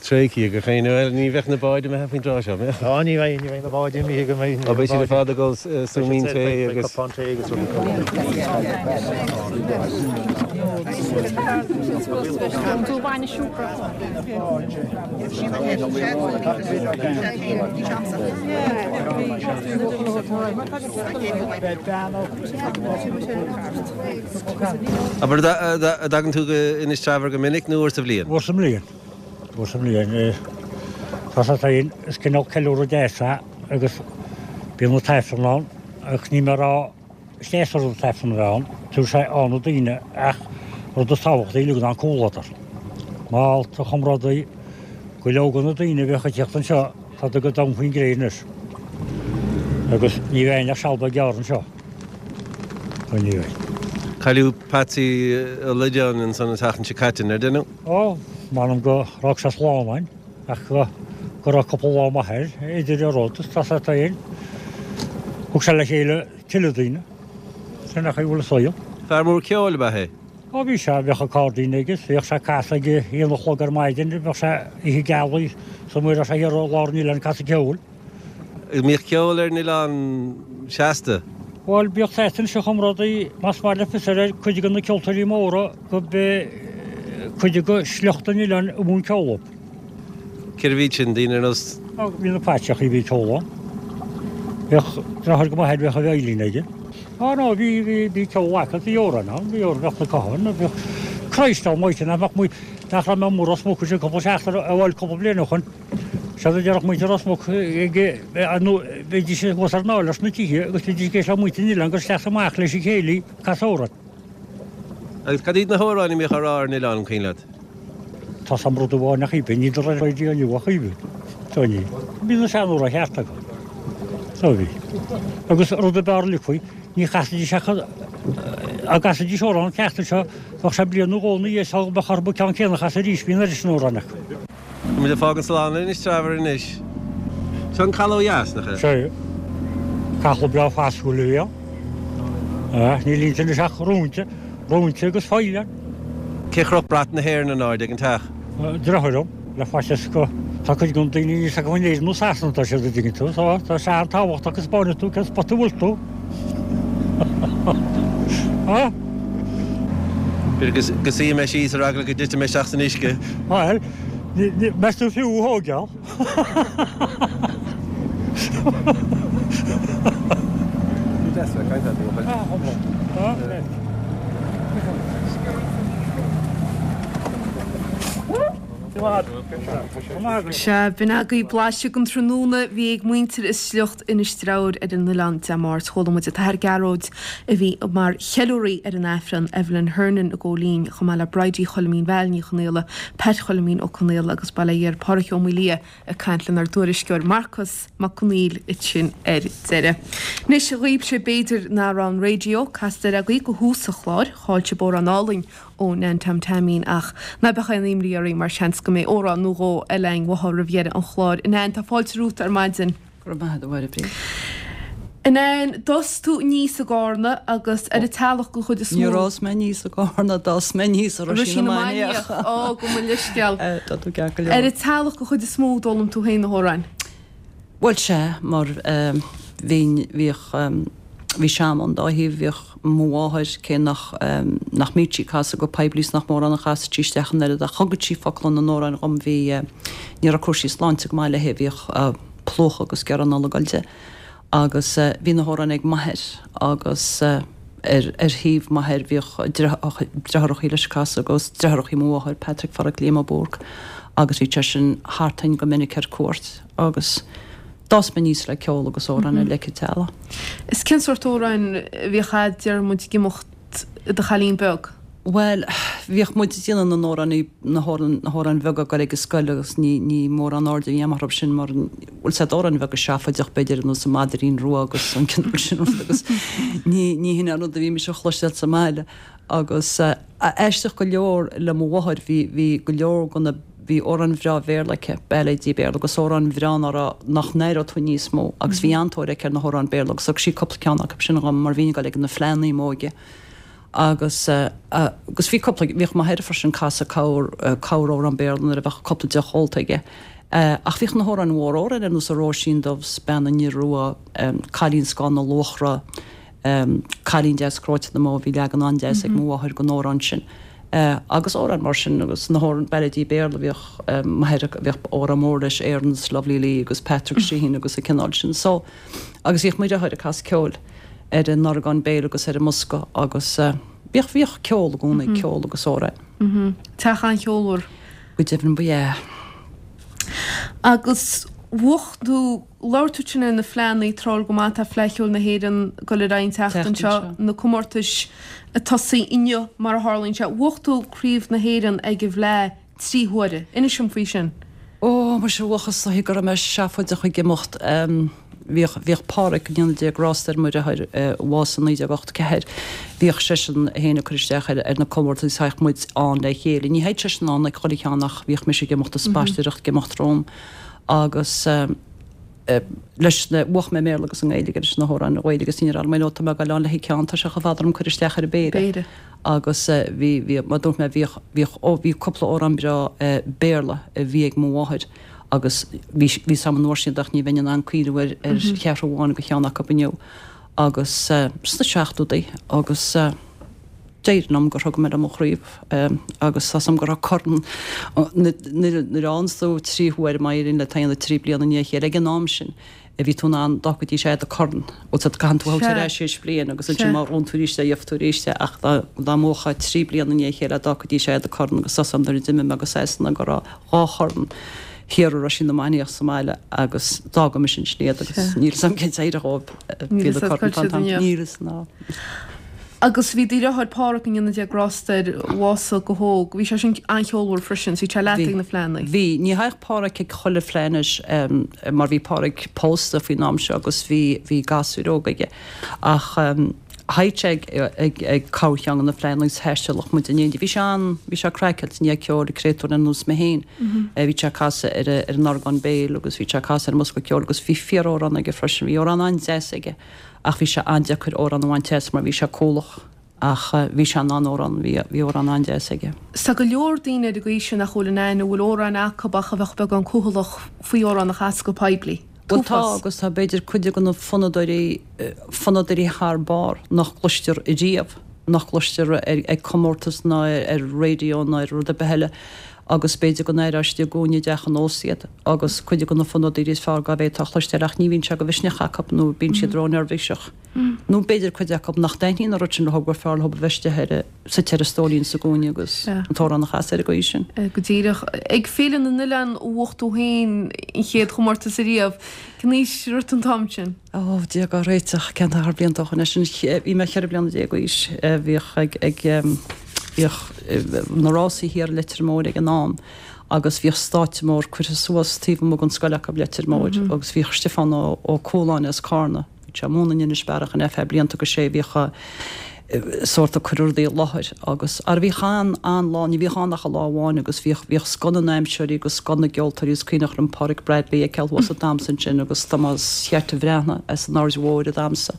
tréigthe ag gach éinne. Bhuel, ní bheadh na báid imithe faoin dtráth seo, mbeadh? Á, ní bheidh, ní bheidh na báid imithe go mbeidh. Á, beidh siad ar fad ag ól súimín tae agus. Cupán tae agus rudaí. Abair, an dtagann tú go Inis Treabhair go minic nó uair sa bhliain? Uair sa mbliain. Uair sa mbliain. Tá sé féin, is cineál ceiliúradh deas é agus bíonn an t-aifreann ann ach níl mé ag rá is deas an rud an t-aifreann a bheith ann, tabharfaidh sé ionadh daoine ach rud is tábhachtaí uilig ná an comhluadar. Málta a chomrádaí, go leor de na daoine a bhíodh ag tíocht anseo tá go domhan faoin gcré anois agus ní bheidh ach seal beag gearr anseo. Ó ní bheidh. Cailleadh Patsy Ó Loideáin ansan an tseachtain seo caite, nár deineadh? Ó, m'anam go raibh sé slán ann ach go go raibh cúpla lá maith air idir an rud is tá sé féin. Thug sé le chéile tuilleadh daoine. Sin é an chaoi a bhfuil an saol. Fear mór ceoil ab ea é? Ó bhí sé, bheadh accordion aige, bhíodh sé ag casadh ag a haon a chlog ar maidin, bheadh sé oíche gealaí, is amuigh raibh sé thiar i lár an oileáin ag casadh ceoil. An mbíodh ceol ar an oileán seasta? Bhuel, bíodh fhios anois a chomrádaí, más maith leat fios air, cuid de na ceoltóirí móra go b'é cuid de shliocht an oileáin a mhúin ceol dóibh. Cérbh iad sin, daoine ar nós. Bhí na Paitseachaí, bhí ceol ann. Bhíodh deartháir go m'athair, bhíodh a veidhlín aige. Á no, bhí, bhí, bhí ceol acu, bhí amhráin ann, bhí amhráin, bheadh na catháin, bhíodh Christ Almighty, nach mbeadh muid, nach raibh mé amuigh Ros Muc ansin cúpla seachtain, bhuel, cúpla bliain ó shoin. Séard a déarfadh muintir Ros Muc ag, nó bhídís thuas ar an áiléar sna tithe agus bhídís ag éisteacht le muintir an oileáin ag dul isteach is amach leis an chéilí ag casadh amhrán. Agus cad iad na hamhráin a mbíodh á rá ar an oileán, an cuimhin leat? Tá 's a'm rud amháin ach bhí, ní do raidió inniu ach bhí. Tá ní. Bhí na seanamhráin cheart acu. Tá bhí. Agus rud ab fhearr uilig faoi, ní chasaidís ach dá gcasaidís amhrán an tseachtain seo, bheadh sé bliain nó dhó ina dhiaidh sula mbeadh orthu an ceann céanna a chasadh arís, bhí an oiread sin amhrán acu. Tá muid ag fágaint slán le Inis Treabhair anois. Seo an caladh ó dheas, nach ea? Sea. Caladh breá fásúil a bhí ann. Níl inti anois ach róinte, róinte agus faill ann. Cé chroch brat na hÉireann in airde ag an teach? Deartháir liom, le faitíos go. Tá cuid de na daoine níl 's acu in Éirinn nó Sasana atá siad, an dtuigeann tú. So, tá sé an-tábhachtach go 'spáinfidh tú cén spot a bhfuil tú. Á? B'fhéidir go suífidh mé síos ar eagla go dtitfidh mé isteach san uisce. Bhuel, meas tú fiú a thóigeáil? Sea, b'in agaibh blaiseadh den tráthnóna a bhí ag muintir is sliocht Inis Treabhair ar an oileán Dé Máirt. Chuala muid an tAthair Gearóid a bhí mar cheiliúraí ar an Aifreann, Evelyn Hernon i gCo Línn, chomh maith le Bridie Choilimín Val Ní Chonaola, Pat Choilimín Ó Conaola agus bail ó Dhia ar Pháraic Ó Maolaodha ag caint lenár dtuairisceoir Marcas Mac Conghail ansin ar deireadh. Anois dhaoibhse b'fhéidir nach raibh an raidió casta air agaibh go thús an chláir, chaill sibh amhrán álainn ó Nan Tom Taimín ach ná beadh aon imní oraibh mar seans go mbeidh amhrán nó dhó eile againn uathu roimh dheireadh an chláir. A Nan, tá fáilte romhat ar maidin. Go raibh maith agat a Mháire Bríd. A Nan, d'fhás tú aníos i gCarna agus ar an teallach den chuid is mó. Níor fhás mé aníos i gCarna, d'fhás mé aníos i Roisín na Mainiach. Ó, gabh mo leithscéal. Tá tú ceart go leor. Ar an teallach den chuid is mó a d'fhoghlaim tú féin na hamhráin. Bhuel sea, mar bhínn, bhíodh, bhí sean ón dá thaobh, bhíodh mo mháthair, cé nach, nach mbíodh sí ag casadh go poiblí is nach mórán a chasadh sí isteach an oiread ach thugadh sí focla na n-amhrán dhom, bhí, ní raibh cúrsaí sláinte go maith léi, bhíodh plúchadh agus gearradh anall ag dul di agus bhí na hamhráin ag m'athair agus ar ar thaobh m'athar bhíodh deartháireachaí leis ag casadh agus deartháireachaí mo mháthar, Patrick Pháraic Liam Ó Búrc agus bhí seisean thart againn go minic ar cuairt agus d'fhás mé aníos le ceol agus amhráin i leic an teallaigh. Is cén sórt amhráin a bhíodh a'd, deir muid, ag imeacht i do chailín beag? Bhuel, bhíodh muid ag déanamh na n-amhrán, na hamhráin bheaga ag dul ag an scoil agus ní, ní mórán airde a bhí agam orthu sin mar, bhuel, sea, amhráin bheaga seafóideach b'fhéidir ar nós an Maidrín Rua agus an cineál sin rud agus ní, ní hin an rud a bhímis a chloisteáil sa mbaile agus aisteach go leor le mo mháthair bhí, bhí go leor de na, bhí amhráin bhreá Bhéarla aici, bailéidí Béarla agus amhráin bhreá ná raibh, nach n-aireodh tú níos mó agus bhí an-tóir aici ar na hamhráin Béarla agus thug sí cúpla ceann acu sin dhom mar bhínn ag dul ag na fleánna i m'óige. Agus agus bhí cúpla, bhíodh m'athair freisin ag casadh corr, corr-amhrán Béarla nuair a bheadh cúpla deoch ólta aige. Ach bhíodh na hamhráin mhóra, amhráin ar nós An Róisín Dubh 's Bean an Iorua, Cailín Scáth na Luachra, Cailín Deas Cróite na mBó, bhí leagan an-deas ag mo mháthair den amhrán sin. Agus amhráin mar sin agus na hamhráin, bailéidí Béarla, bhíodh m'athair, bhíodh amhrán mór leis, Erin's Lovely Lee agus Patrick Sheehan agus an cineál sin. So, agus bhíodh mo dheartháir ag casadh ceoil ar an orgán béil agus ar an mbosca agus bhíodh, bhíodh ceol i gcónaí, ceol agus amhráin. Teach an-cheolmhar. Go deimhin ba ea. Agus bhuaigh tú, labhair tú ansin ar na fleánna, tráthúil go maith, tá Fleadh Cheoil na hÉireann ag dul ar aghaidh an tseachtain seo, na comórtais ag tosaí inniu mar a tharlaíonn sé. Bhuaigh tú Craobh na hÉireann ag an bhFleadh 3 huaire. Inis dom faoi sin. Ó, muise, bhuachas is dóichí go raibh mé seafóideach ag imeacht. Bhíodh, bhíodh Páraic, go ndéana Dia grásta air, mo dheartháir, a bhásaigh i 1984, bhíodh seisean féin ag cur isteach ar, ar na comórtais, thagadh muid ann le chéile. Ní théadh seisean ann ag chuile cheann ach bhíodh mise ag imeacht is spaisteoireacht ag imeacht romham agus leis na, bhuaigh mé i mBéarla agus i nGaeilge leis na hamhráin Ghaeilge agus ní raibh mé, tá mé ag dul ann le haghaidh ceann, tá sé chomh fada orm cur isteach ar an bpéire. Péire. Agus bhí, bhí, mar dúirt mé, bhíodh, bhíodh, ó, bhí cúpla amhrán breá Béarla a bhí ag mo mháthair agus bhí, bhí 's a'm an uair sin ach ní bheinn in ann cuimhniú ar, ar cheathrú amháin de cheann acu inniu. Agus sna seachtóidí agus d'éirigh liom gur thug mé liom an chraobh agus tá 's a'm go raibh corn, nuair, nuair a fhaigheanns tú trí huaire má éiríonn leat é a dhéanamh trí bliana i ndiaidh a chéile ag an am sin, a bhí tú in ann d'fhágfaidís é do corn bhfuil 's agat caitheann tú a thabhairt ar ais théis bliain agus ansin má bhuann tú arís é gheobhaidh tú arís é ach dá dá mbuafá 3 bliana i ndiaidh a chéile d'fhágfaidís é do corn agus tá 's a'm nuair a d'imigh mé go Sasana go raibh dhá chorn thiar i Roisín na Mainiach sa mbaile agus d'fhága mise ansin iad agus níl 'fhios a'm cén d'éirigh dhóibh Níl 'fhios a'd cá bhfuil siad inniu. Níl 'fhios ná. Agus bhí do dheartháir Páraic, go ndéana Dia grásta air, a bhásaigh go hóg, bhí sé sin an-cheolmhar freisin, so bhí sé leat ag na fleánna. Bhí. Ní thagadh Páraic ag chuile fleá anois mar bhí Páraic pósta faoin am seo agus bhí, bhí gasúir óga aige. Ach thagadh sé ag, ag, ag corrcheann de na fleánna agus thaistealfadh muid in éindí. Bhí sé an, bhí sé craiceáilte i ndiaidh ceoil, créatúr ar nós mé féin. Bhí sé ag casadh ar, ar an orgán béil agus bhí sé ag casadh ar an mbosca ceoil agus bhí fíor-amhrán aige freisin. Bhí amhrán an-deas aige. Ach bhí sé an-deacair amhrán a bhaint as mar bhí sé cúthalach ach bhí sé in ann amhrán, bhí, bhí amhrán an-deas aige. 'S tá go leor daoine ar an gcaoi sin nach bhfuil in ann, a bhfuil amhráin acu ach a bheadh beagán cúthalach faoi amhrán a chasadh go poiblí. Bhuel tá agus tá b'fhéidir cuid de na fonnadóirí, fonnadóirí thar barr nach gcloistear riamh, nach gcloistear ar, ag comórtas ná ar raidió ná ar rud ar bith eile agus b'fhéidir go n-aireofá istigh i gcúinne i dteach an ósta iad agus cuid de na fonnadóirí is fearr dá bhféadfá a chloisteáil ach ní bhíonn sé de mhisneach acu nó bíonn siad ró-neirbhíseach nó b'fhéidir cuid acu nach dtaitníonn an rud sin leo gur fearr leo a bheith istigh ar a, suite ar a stóilín sa gcúinne agus an t-amhrán a chasadh ar an gcaoi sin. Go díreach. Ag Féile na nOileán a bhuaigh tú féin an chéad chomórtas ariamh. Cén aois a raibh tú an t-am sin? Ó, Dia dhár réiteach, cén t-achar blianta ó shoin é sin? Bhí mé 14 bliana d'aois. Bhíodh ag, ag, bhíodh na rásaí thiar i Leitir Móir ag an am agus bhíodh stáitse mór curtha suas taobh amuigh den scoil acu i Leitir Móir agus bhíodh Stiofán Ó Cualáin as Cárna, bhí sé ag múineadh in Inis Bearach ar feadh blianta agus sé a bhíodh a, sórt ag cur rudaí i láthair agus ara bhíodh an, an-lá, ní bhíodh ann ach lá amháin agus bhíodh, bhíodh scoth na ndamhsóirí agus scoth na gceoltóirí is cuimhneach liom Páraic Bradley a fheiceáil thuas ag damhsa ansin agus Tomás Cheaite Bhreathnaigh as an Aird Mhóir ag damhsa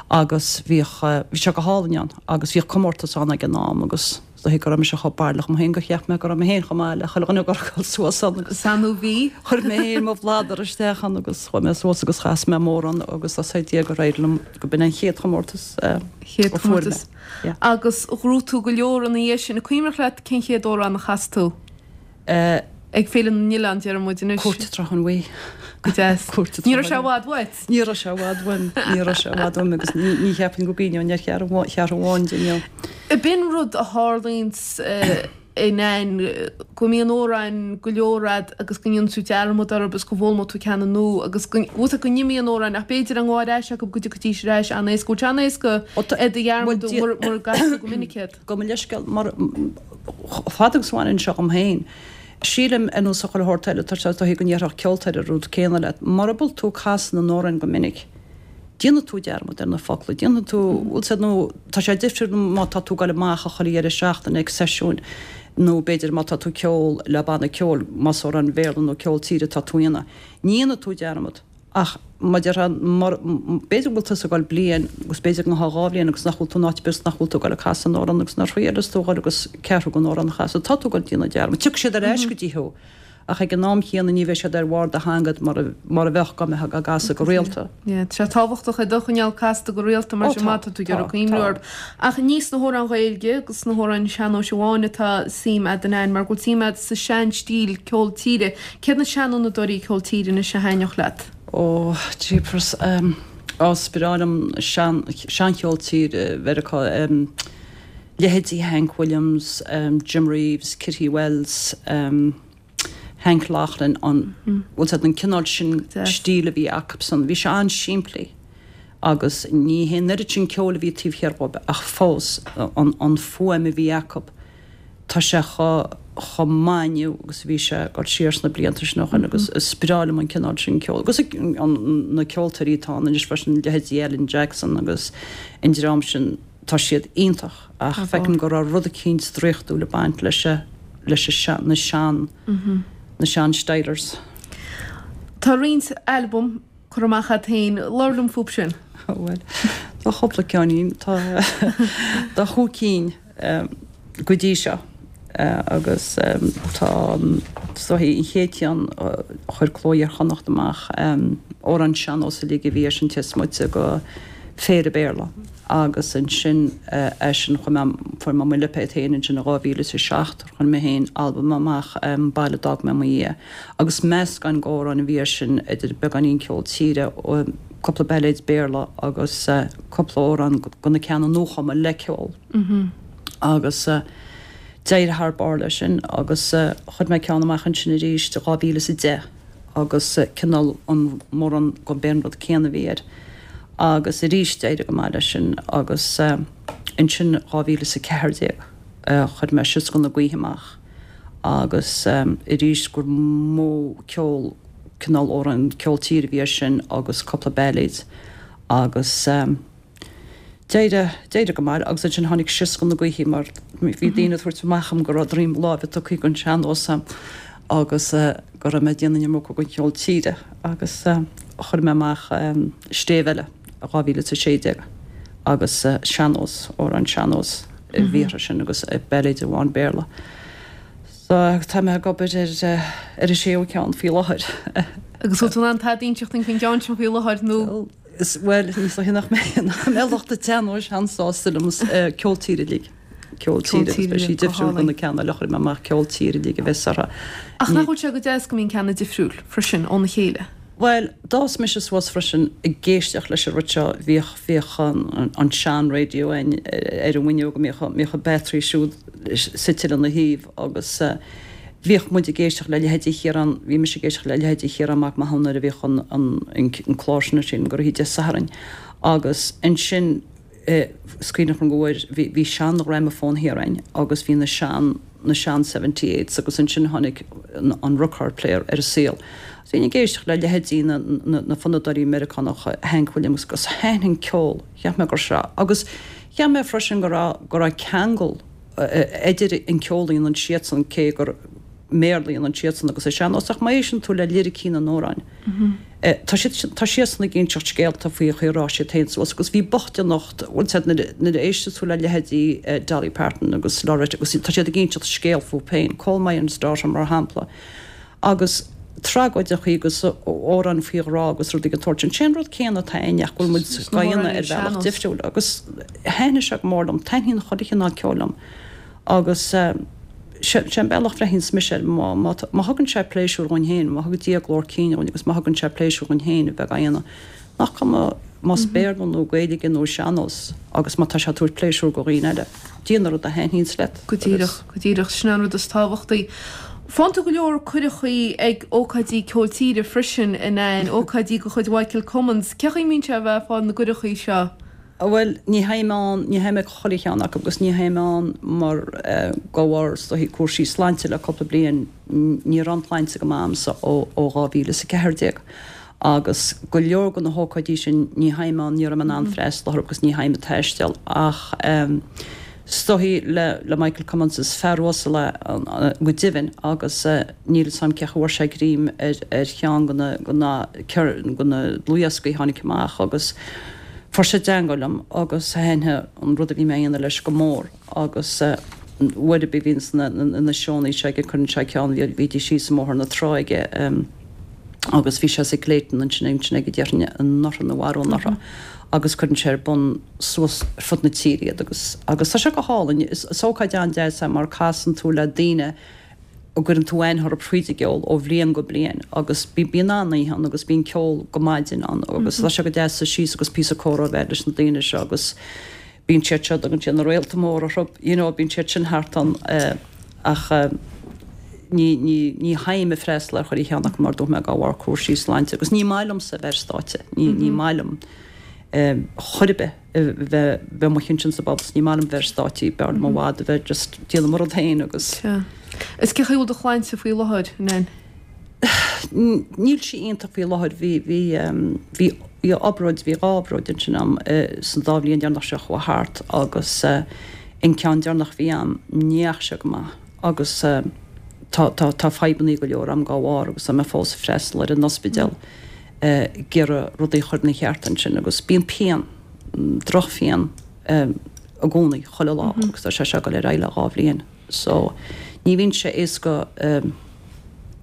agus bhíodh, bhí sé go hálainn ann agus bhíodh comórtas ann ag an am agus is dóichí go raibh mise chomh bairrleach liom féin gur cheap mé go raibh mé féin chomh maith le chuile dhuine ag dul suas ann agus Sea nó bhí? chuir mé féin mo bhladar isteach ann agus chuaigh mé suas agus chas mé m'amhrán agus tá sé Dia gur éirigh liom go b'in an chéad chomórtas a Chéad fuair mé. Yeah. Agus ghnóthaigh tú go leor ina dhiaidh sin. An cuimhneach leat cén chéad amhrán a chas tú? Ag Féile na nOileán, déarfaidh muid anois. Cúirt an tSrutháin Bhuí. Go deas. Cúirt an Ní raibh sé i bhfad uait? Ní raibh sé i bhfad uaim. Ní raibh sé i bhfad uaim agus ní cheapfainn go gcuimhneoinn ar cheathrú amháin de inniu. B'in rud a tharlaíonns in ann go mbíonn amhráin go leor a'd agus go ndéanann tú dearmad orthu agus go bhfoghlaimeoidh tú ceann nua agus go bhfuil go n-imíonn amhráin ach b'fhéidir an ghabháil ar ais acu go dtiocfaidís ar ais an-éasca. Bhfuil sé an-éasca iad a dhearmadú mura gcasann tú go minic iad? Gabh mo leithscéal mar chomh fada agus a bhaineann seo dhom féin, sílim, ar nós chuile shórt eile, tá sé is dóichí go ndéarfadh ceoltóir an rud céanna leat, mura bhfuil tú ag casadh na n-amhrán go minic, déanfaidh tú dearmad ar na focla, déanfaidh tú, bhfuil 's a'd, nó tá sé difriúil má tá tú ag dul amach chuile dheireadh seachtaine ag seisiúin nó b'fhéidir má tá tú ag ceol le banna ceoil, más amhráin Bhéarla nó ceol tíre atá tú a dhéanamh, ní dhéanfaidh tú dearmad. Ach. Mar a déarfá, b'fhéidir go bhfuil tusa ag dul bliain agus b'fhéidir go ngabhfá 2 bhliain agus nach bhfuil tú in áit ar bith agus nach bhfuil tú ag dul ag casadh an amhrán agus nuair a thriaileas tú a dhul agus ceathrú den amhrán a chasadh, tá tú ag dul déanamh dearmad. Tiocfaidh siad ar ais go dtí thú ach ag an am chéanna ní bheidh siad ar bharr do theanga mar a mar a bheadh dá mbeifeá á gcasadh go rialta. Yeah, tá sé tábhachtach iad a choinneáil casta go rialta mar sin má tá tú ag iarraidh cuimhniú orthu. Ach ní sna hamhráin Ghaeilge agus sna hamhráin sean-nóis amháin atá suim a'd a Nan mar go bhfuil suim a'd sa sean-stíl ceol tíre. Céard na seanfhonnadóirí ceol tíre anois a thaitneodh leat? Ó, jeepers, á, is breá liom sean, seancheol tíre Mheiriceá, leithéidí Hank Williams, Jim Reeves, Kitty Wells, Hank Locklin, an, bhfuil 's a'd, an cineál sin stíl a bhí acusan. Bhí sé an-simplí agus ní hé an oiread sin ceoil a bhí taobh thiar dhóibh ach fós an, an fuaim a bhí acu. Tá sé chomh maith inniu agus a bhí sé ag dul siar sna blianta sin ó shin agus is breá liom an cineál sin ceoil. Agus na ceoltóirí atá ann anois freisin, leithéidí Alan Jackson agus an dream sin, tá siad iontach ach feicim go raibh rud eicínt draíochtúil ag baint leis leis na sean, na sean stylers. Tá roinnt albam curtha amach agat féin, labhair liom fúb sin. Bhuel, tá cúpla ceainnín, tá tá chúig cinn. go dtí seo agus tá is dóichí an chéad cheann a chuir Cló Iar-Chonnacht amach, amhráin sean-nós uilig a bhí air sin cé is moite de phéire Béarla agus ansin eisean chuir mé, fuair mé mo lipéad féin ansin in 2007, chuir mé féin albam amach, An Baile a d'Fhág Mé i mo Dhiaidh agus meascán d'amhráin a bhí air sin idir beagáinín ceol tíre, cúpla bailéid Béarla agus cúpla amhrán de na ceanna nuachumtha le ceol. Agus d'éirigh thar barr leis sin agus chuir mé ceann amach ansin arís i 2010 agus cineál an mórán gurb é an rud céanna a bhí air. Agus arís d'éirigh go maith leis sin agus ansin 2014 chuir mé Sioscadh na Gaoithe amach agus arís gur mó ceol cineál amhrán ceol tíre a bhí air sin agus cúpla bailéid agus. D'éirigh, d'éirigh go maith agus ansin tháinig Sioscadh na Gaoithe mar bhí daoine ag tabhairt amach dhom go raibh droim láimhe tugtha don sean-nós a'm agus go raibh mé ag déanamh an iomarca den cheol tíre agus chuir mé amach Stéibh Eile i 2016 agus sean-nós, amhráin sean-nós a bhí orthu sin agus bailéid amháin Béarla. So tá mé ag obair ar ar an séú ceann faoi láthair. Agus bhfuil tú in ann tada a inseacht dúinn faoin gceann sin faoi láthair nó? Bhuel, is dóiche nach mbeidh lucht an tsean-nóis an-sásta liom ceol tíre uilig. Ceol tíre agus beidh sí difriúil do na ceanna eile a chuir mé amach, ceol tíre uilig a bheas orthu. Ach nach bhfuil sé go deas go mbíonn ceanna difriúil freisin óna chéile? Bhuel, d'fhás mise suas freisin ag éisteacht leis an rud seo, bhíodh, bhíodh an sean-radio againn ar an bhfuinneog, bhíodh, bhíodh an battery siúd suite lena thaobh agus Bhíodh muid ag éisteacht le leithéidí Chiarán, bhí mise ag éisteacht le leithéidí Chiarán Mac Mathúna nuair a bhíodh an, an, an clár sin ar siúl gach oíche Dé Sathairn agus ansin is cuimhneach liom go bhfuair, bhí, bhí sean-ghramafón thiar againn agus bhí na sean, na sean seventy eights agus ansin tháinig an, an record player ar an saol. Agus bhínn ag éisteacht le leithéidí na, na, na fonnadóirí Meiriceánacha, Hank Williams agus thaitin an ceol, cheap mé gur seo, agus cheap mé freisin go raibh, go raibh ceangal, idir an ceol a dhéanann siadsan, cé gur i mBéarla a dhéanann siadsan agus an sean-nós, ach má éisteann tú le liricí na n-amhrán, tá siad, tá siadsan ag inseacht scéalta faoi chaoi a raibh siad féin suas agus bhí bochtaineacht, bhfuil 's a'd, nuair, nuair a éisteas tú le leithéidí Dolly Parton agus Loretta agus tá siad ag inseacht scéal fúthu féin, Coal Miner's Daughter mar shampla, agus tragóideachaí agus amhráin faoi ghrá agus rudaí den tsórt sin. Sé an rud céanna atá againn ach go bhfuil muid á dhéanamh ar bhealach difriúil agus thaitnigh sé go mór liom, taitníonn chuile chineál ceoil liom agus sé an bealach a bhreathnaíonns mise air, má má thugann sé pléisiúr dhúinn féin, má thugann Dia glór cinn dhúinn agus má thugann sé pléisiúr dhúinn féin a bheith á dhéanamh, Nach cuma más Béarla nó Gaeilge nó sean-nós agus má tá sé ag tabhairt pléisiúr go dhaoine eile, déan an rud a thaitníonns leat. Go díreach, go díreach. Sin an rud is tábhachtaí. Faigheann tú go leor cuireachaí ag ócáidí ceol tíre freisin, a Nan, ócáidí de chuid Mhichael Cummins. Cén chaoi a mbíonn sé a bheith ag fáil na gcuireachaí seo? Bhuel, ní théim ann, ní théim ag chuile cheann acu agus ní théim ann mar de bharr is dóichí cúrsaí sláinte le cúpla bliain, ní raibh an tsláinte go maith a'msa ó 2014. Agus go leor de na hócáidí sin ní théim ann, ní raibh mé in ann freastal orthu agus ní théim ag taisteal ach. Is dóichí le Michael Cummins, is fear uasal é go deimhin agus níl fhios a'm cén chaoi a bhfuair sé greim ar cheann de na de na dlúthdhioscaí a tháinig amach agus fuair sé i dteangmháil liom agus thaitnigh an rud a bhí mé a dhéanamh leis go mór agus uair ar bith a bhíonns na seónna seo aige cuireann sé ceann, bhídís síos i mBóthar na Trá aige agus bhí sé sa Clayton ansin ansin aige déarfainn anuraidh nó arú anuraidh agus cuireann sé ar bun suas ar fud na tíre iad agus agus tá sé go hálainn. Is is ócáid an-deas é mar casann tú le daoine a gcuireann tú aithne orthu fríd an gceol ó bhliain go bliain agus bíonn an-oíche ann agus bíonn ceol go maidin ann agus tá sé go deas suí síos agus píosa comhrá a bheith leis na daoine seo agus bíonn siad seo, dtugann siad na réalta móra orthu, you know, bíonn siad sin thart ann ach ní, ní, ní théim ag freastal ar chuile cheann acu mar dúirt mé dá bharr cúrsaí sláinte agus ní maith liomsa a bheith ar stáitse, ní, ní maith liom chor ar bith a bheith, bheith amuigh ansin sa bpobal, ní maith liom bheith ar stáitse, b'fhearr liom i bhfad a bheith just déanamh mo rud féin agus. Sea. Is cén chaoi a bhfuil do shláinte faoi láthair, a Nain? Níl sí iontach faoi láthair. Bhí, bhí, bhí, bhí obráid, bhí dhá obráid ansin a'm san dá bhliain deireanach seo a chuaigh thart agus an ceann deireanach a bhí a'm, ní dheachaigh sé go maith agus tá, tá, tá fadhbannaí go leor a'm dá bharr agus tá mé fós ag freastal ar an ospidéal ag iarraidh rudaí a chur ina cheart ansin agus bíonn pian, drochphian i gcónaí, chuile lá agus tá sé seo ag dul ar aghaidh le dhá bhliain. So, ní bhíonn sé éasca.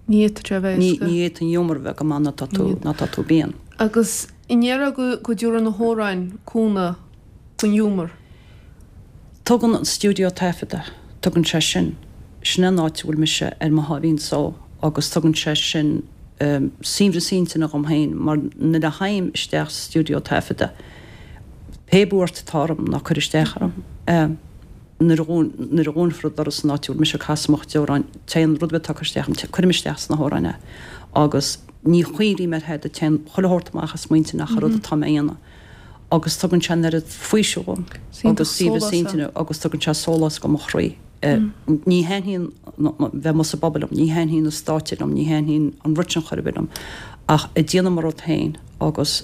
Ní fhéadfadh sé a bheith éasca. Ní fhéadfaidh an ghiúmar a bheith go maith nuair atá tú, nuair atá tú pian. Agus an ndéarfá go, go dtabharann na hamhráin cúnamh don ghiúmar? Tugann an stiúideo taifeadta, tugann sé sin, sin é an áit a bhfuil mise ar mo sháimhín só agus tugann sé sin saoibhreas intinne dhom féin mar nuair a théim isteach sa stiúideo taifeadta, pé buairt atá orm, ná cuir isteach orm. Nuair a nuair a dhúnfar an doras san áit a bhfuil mise ag casadh mo chuid amhráin, téann rud ar bith atá ag cur isteach orm, cuirim isteach sna hamhráin é agus ní chuimhrím ar thada, téann chuile shórt amach as m'intinn ach an rud atá mé a dhéanamh agus tugann sé an oiread faoiseamh dhom agus saoibhreas intinne agus tugann sé sólás go mo chroí. Ní thaitníonn bheith amuigh sa bpobal liom, ní thaitníonn an stáitse liom, ní thaitníonn an rud sin chor ar bith liom ach ag déanamh mo rud féin agus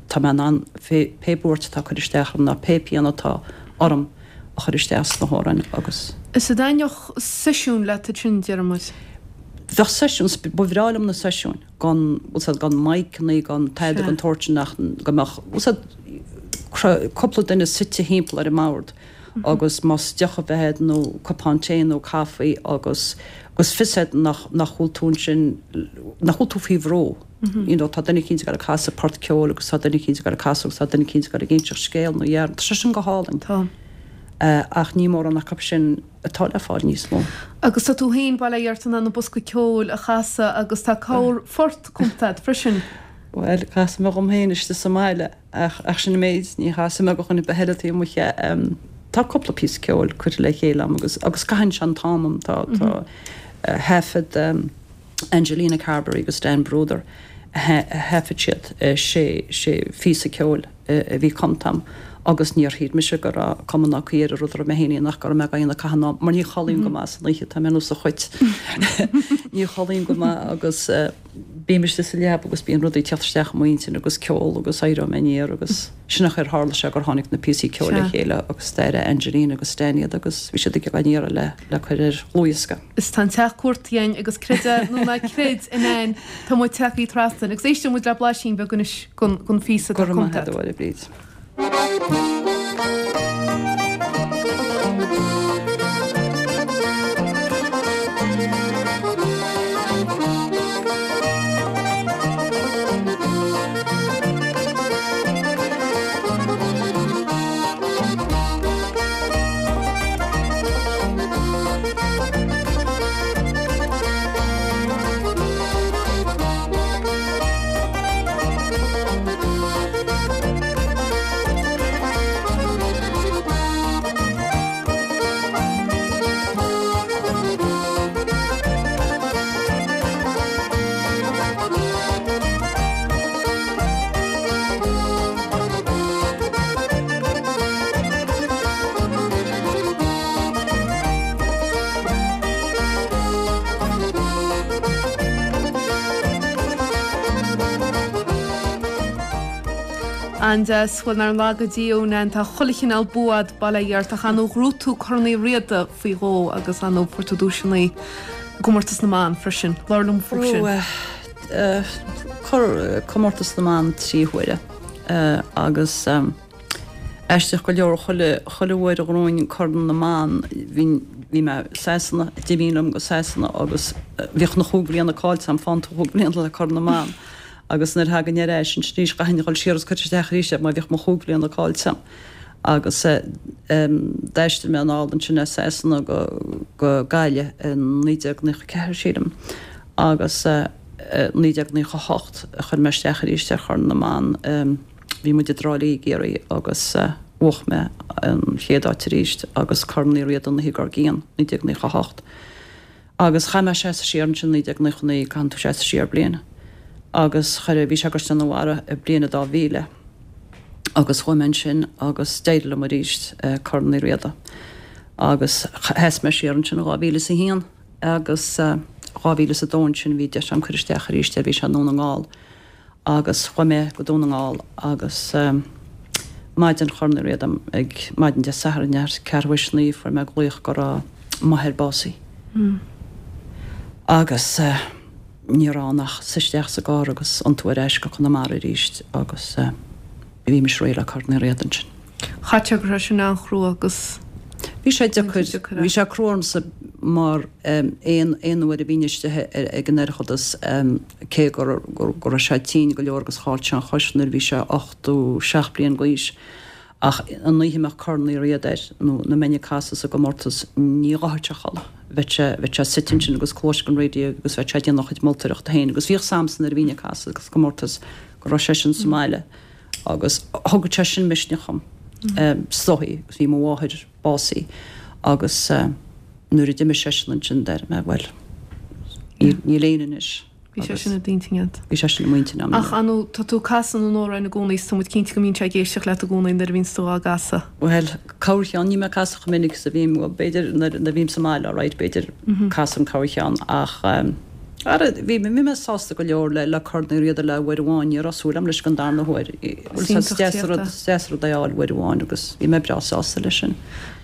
tá mé in ann pé buairt atá ag cur isteach orm ná pé pian atá orm a chur isteach sna hamhráin agus. Is an dtaitneodh seisiún leat ansin, déarfaidh muid? Bheadh seisiún, ba bhreá liom na seisiúin, gan, bhfuil 's a'd, gan miceannaí, gan tada den tsórt sin ach go mbeadh, bhfuil 's a'd, cúpla duine suite thimpeall ar an mbord agus más deoch a bheith a'd nó cupán tae nó caife agus, agus fios a'd nach, nach bhfuil tú ansin, nach bhfuil tú faoi bhrú. You know, tá duine eicínt ag dul ag casadh port ceoil agus tá duine eicínt ag dul ag casadh agus tá duine eicínt ag dul ag inseacht scéal nó dhearn. Tá sé sin go hálainn. Tá. Ach ní mórán acu sin atá le fáil níos mó. Agus tá tú féin, bail ó Dhia ort, in ann an bosca ceoil a chasadh agus tá corr-phort cumtha agat freisin. Bhuel, casaim é dhom féin istigh sa mbaile ach ach sin an méid, ní chasaim é do dhuine ar bith eile taobh amuigh. Tá cúpla píosa ceoil curtha le chéile agam agus agus caitheann sé an t-am a'm. Tá tá thaifead. Angelina Carberry agus Dan Brouder a thaifead siad sé sé phíosa ceoil a bhí cumtha a'm agus níor shíl mise go raibh cuma ná caoi ar an rud a raibh mé féin a dhéanamh ach go raibh mé dhá dhéanamh caitheamh an am mar ní chodlaím go maith san oíche, tá mé ar nós an chait ní chodlaím go maith agus bím istigh sa leaba agus bíonn rudaí ag teacht isteach i m'intinn agus ceol agus éireoidh mé aniar agus sin an chaoi ar tharla sé gur tháinig na píosaí ceoil le chéile agus d'airigh Angelina agus Dan iad agus bhí siad ag á n-iarraidh le le cur ar dhlúthdhiosca. Is tá an teach cuartaithe againn agus creid é nó ná creid, a Nain, tá muid tagtha trasna agus éisteoidh muid le blaisín beag anois den phíosa atá cumtha agat. Go raibh maith agat, a Bhríd. An-deas. Bhuel, nár laga Dia thú, Nan, tá chuile chineál bua a'd, bail ó Dhia ort, ach ar ndóigh ghnóthaigh tú Corn Uí Riada faoi dhó agus ar ndóigh fuair tú duaiseanna i gcomórtas na mban freisin. Labhair liom faoi sin. Bhuaigh comórtas na mban 3 huaire agus aisteach go leor chuile chuile uair a ghnóthainn Corn na mBan bhínn bhí mé i Sasana, d'imínn liom go Sasana agus bhíodh na chúig bhliana caillte a'm, fán tú chúig bhliana le Corn na mBan. Agus nuair a thagainn ar ais ansin arís chaithfinn a dhul siar agus cur isteach arís air mar bhíodh mo chúig bhliana caillte a'm. Agus d'aistrigh mé anall ansin as Sasana go go Gaillimh i 1994 sílim agus 1998 a chuir mé isteach arís ar Chorn na mBan. Bhí muid i dTrá Lí i gCiarraí agus bhuach mé an chéad áit arís agus Corn Uí Riada an oíche dár gcionn, 1998. Agus chaith mé seasamh siar ansin 1999, caitheann tú seasamh siar bliain. Agus chuir, bhí sé i gCaisleán an Bharraigh i bliain a 2000 agus chuaigh mé ansin agus d'éirigh liom arís Corn Uí Riada. Agus sheas mé siar ansin in 2001 agus 2002 ansin bhí deis agam cur isteach arís air, bhí sé i nDún na nGall. Agus chuaigh mé go Dún na nGall agus maidin Chorn Uí Riada ag maidin Dé Sathairn ar ceathrú théis 9 fuair mé glaoch go raibh m'athair básaithe. Agus ní raibh ann ach suí isteach sa gcarr agus iontú ar ais go Conamara arís agus bhí mise réidh le Corn Uí Riada ansin. Chaithfeadh sé go raibh sin an-chrua agus. Bhí sé deacair. Bhí sé crua ormsa mar aon aon uair a bhínn istigh ag an Oireachtas cé go raibh sé tinn go leor agus chaill sé an chois nuair a bhí sé 87 bliain d'aois ach an oíche a mbeadh Corn Uí Riada air nó nuair a mbeinn ag casadh sa gcomórtas ní ghabhfadh sé a chodladh. Bheadh sé bheadh sé suite ansin agus cluais don raidió agus bheadh sé ag déanamh a chuid moltóireachta féin agus bhíodh a fhios a'msa nuair a bhínn ag casadh sa gcomórtas go raibh seisean sa mbaile. Agus thugadh sé sin misneach dhom, is dóigh, agus bhí mo mháthair básaithe agus nuair a d'imigh seisean ansin deir mé, bhuel, níl éinne anois. Bhí sé sin i d'intinn agat. Bhí sé sin i m'intinn agam. Ach ar ndóigh, tá tú ag casadh na n-amhrán i gcónaí is tá muid cinnte go mbíonn sé ag éisteacht leat i gcónaí nuair a bhíonns tú á gcasadh. Bhuel, corrcheann, níl mé ag casadh chomh minic is a bhím, bhuel, b'fhéidir nuair a bhím sa mbaile, alright, b'fhéidir casaim corrcheann ach. Ara, bhí mé sásta go leor le Corn Uí Riada le uair amháin, ní raibh súil agam leis don darna huair. Is deas an rud, is deas an rud é a fháil uair amháin agus bhí mé breá sásta leis sin.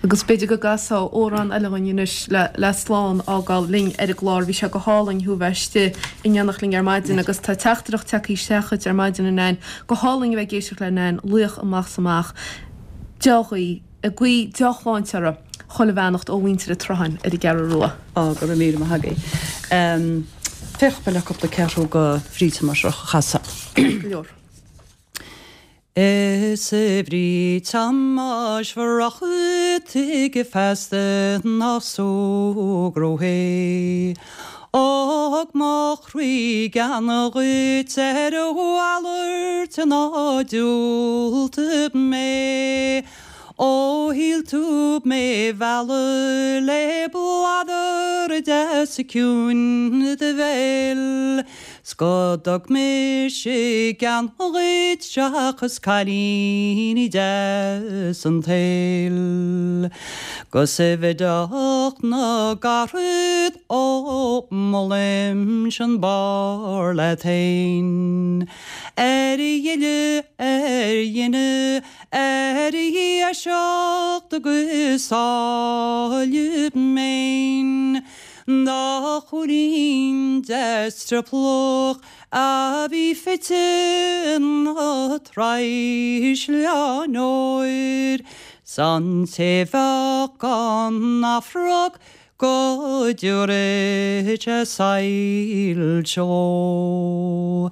Agus b'fhéidir go gcasfá amhrán eile dhúinn anois le le slán a fhágáil linn ar an gclár. Bhí sé go hálainn thú a bheith istigh in éineacht linn ar maidin agus tá teachtaireacht tagtha isteach chugat ar maidin, a Nain. Go hálainn a bheith ag éisteacht le Nain, laoch amach 's amach. Dea-ghuí. Ag guí deá-shláinte uirthi. Chuile bheannacht ó mhuintir an tSrutháin ar an gCeathrú Rua. Á, go raibh míle maith agaibh. Féachfaidh mé le cúpla ceathrú go Bríd Thomáis a chasadh. Go leor. Is a Bhríd Thomáis Bhroc tuige feasta nach súgradh é. Ó thug mo chroí gean dhuit ar a mhalairt ná diúltaigh mé. Ó shíl tú mé mhealladh le bladar deas ciúin do bhéil 's go dtug mise gean dhuit seachas cailíní deas an tsaoil. 'Gus i bhfideach na gcarad ó molaimse an barr leat fhéin. Ar ghile, ar fhinne, ar dheaseacht agus áille méin. Do chúilín deas triopallach a bhí fite ina thraisleán óir, 's an té bheadh gan Afrac go dtiúrfaidh sé soilse dhó.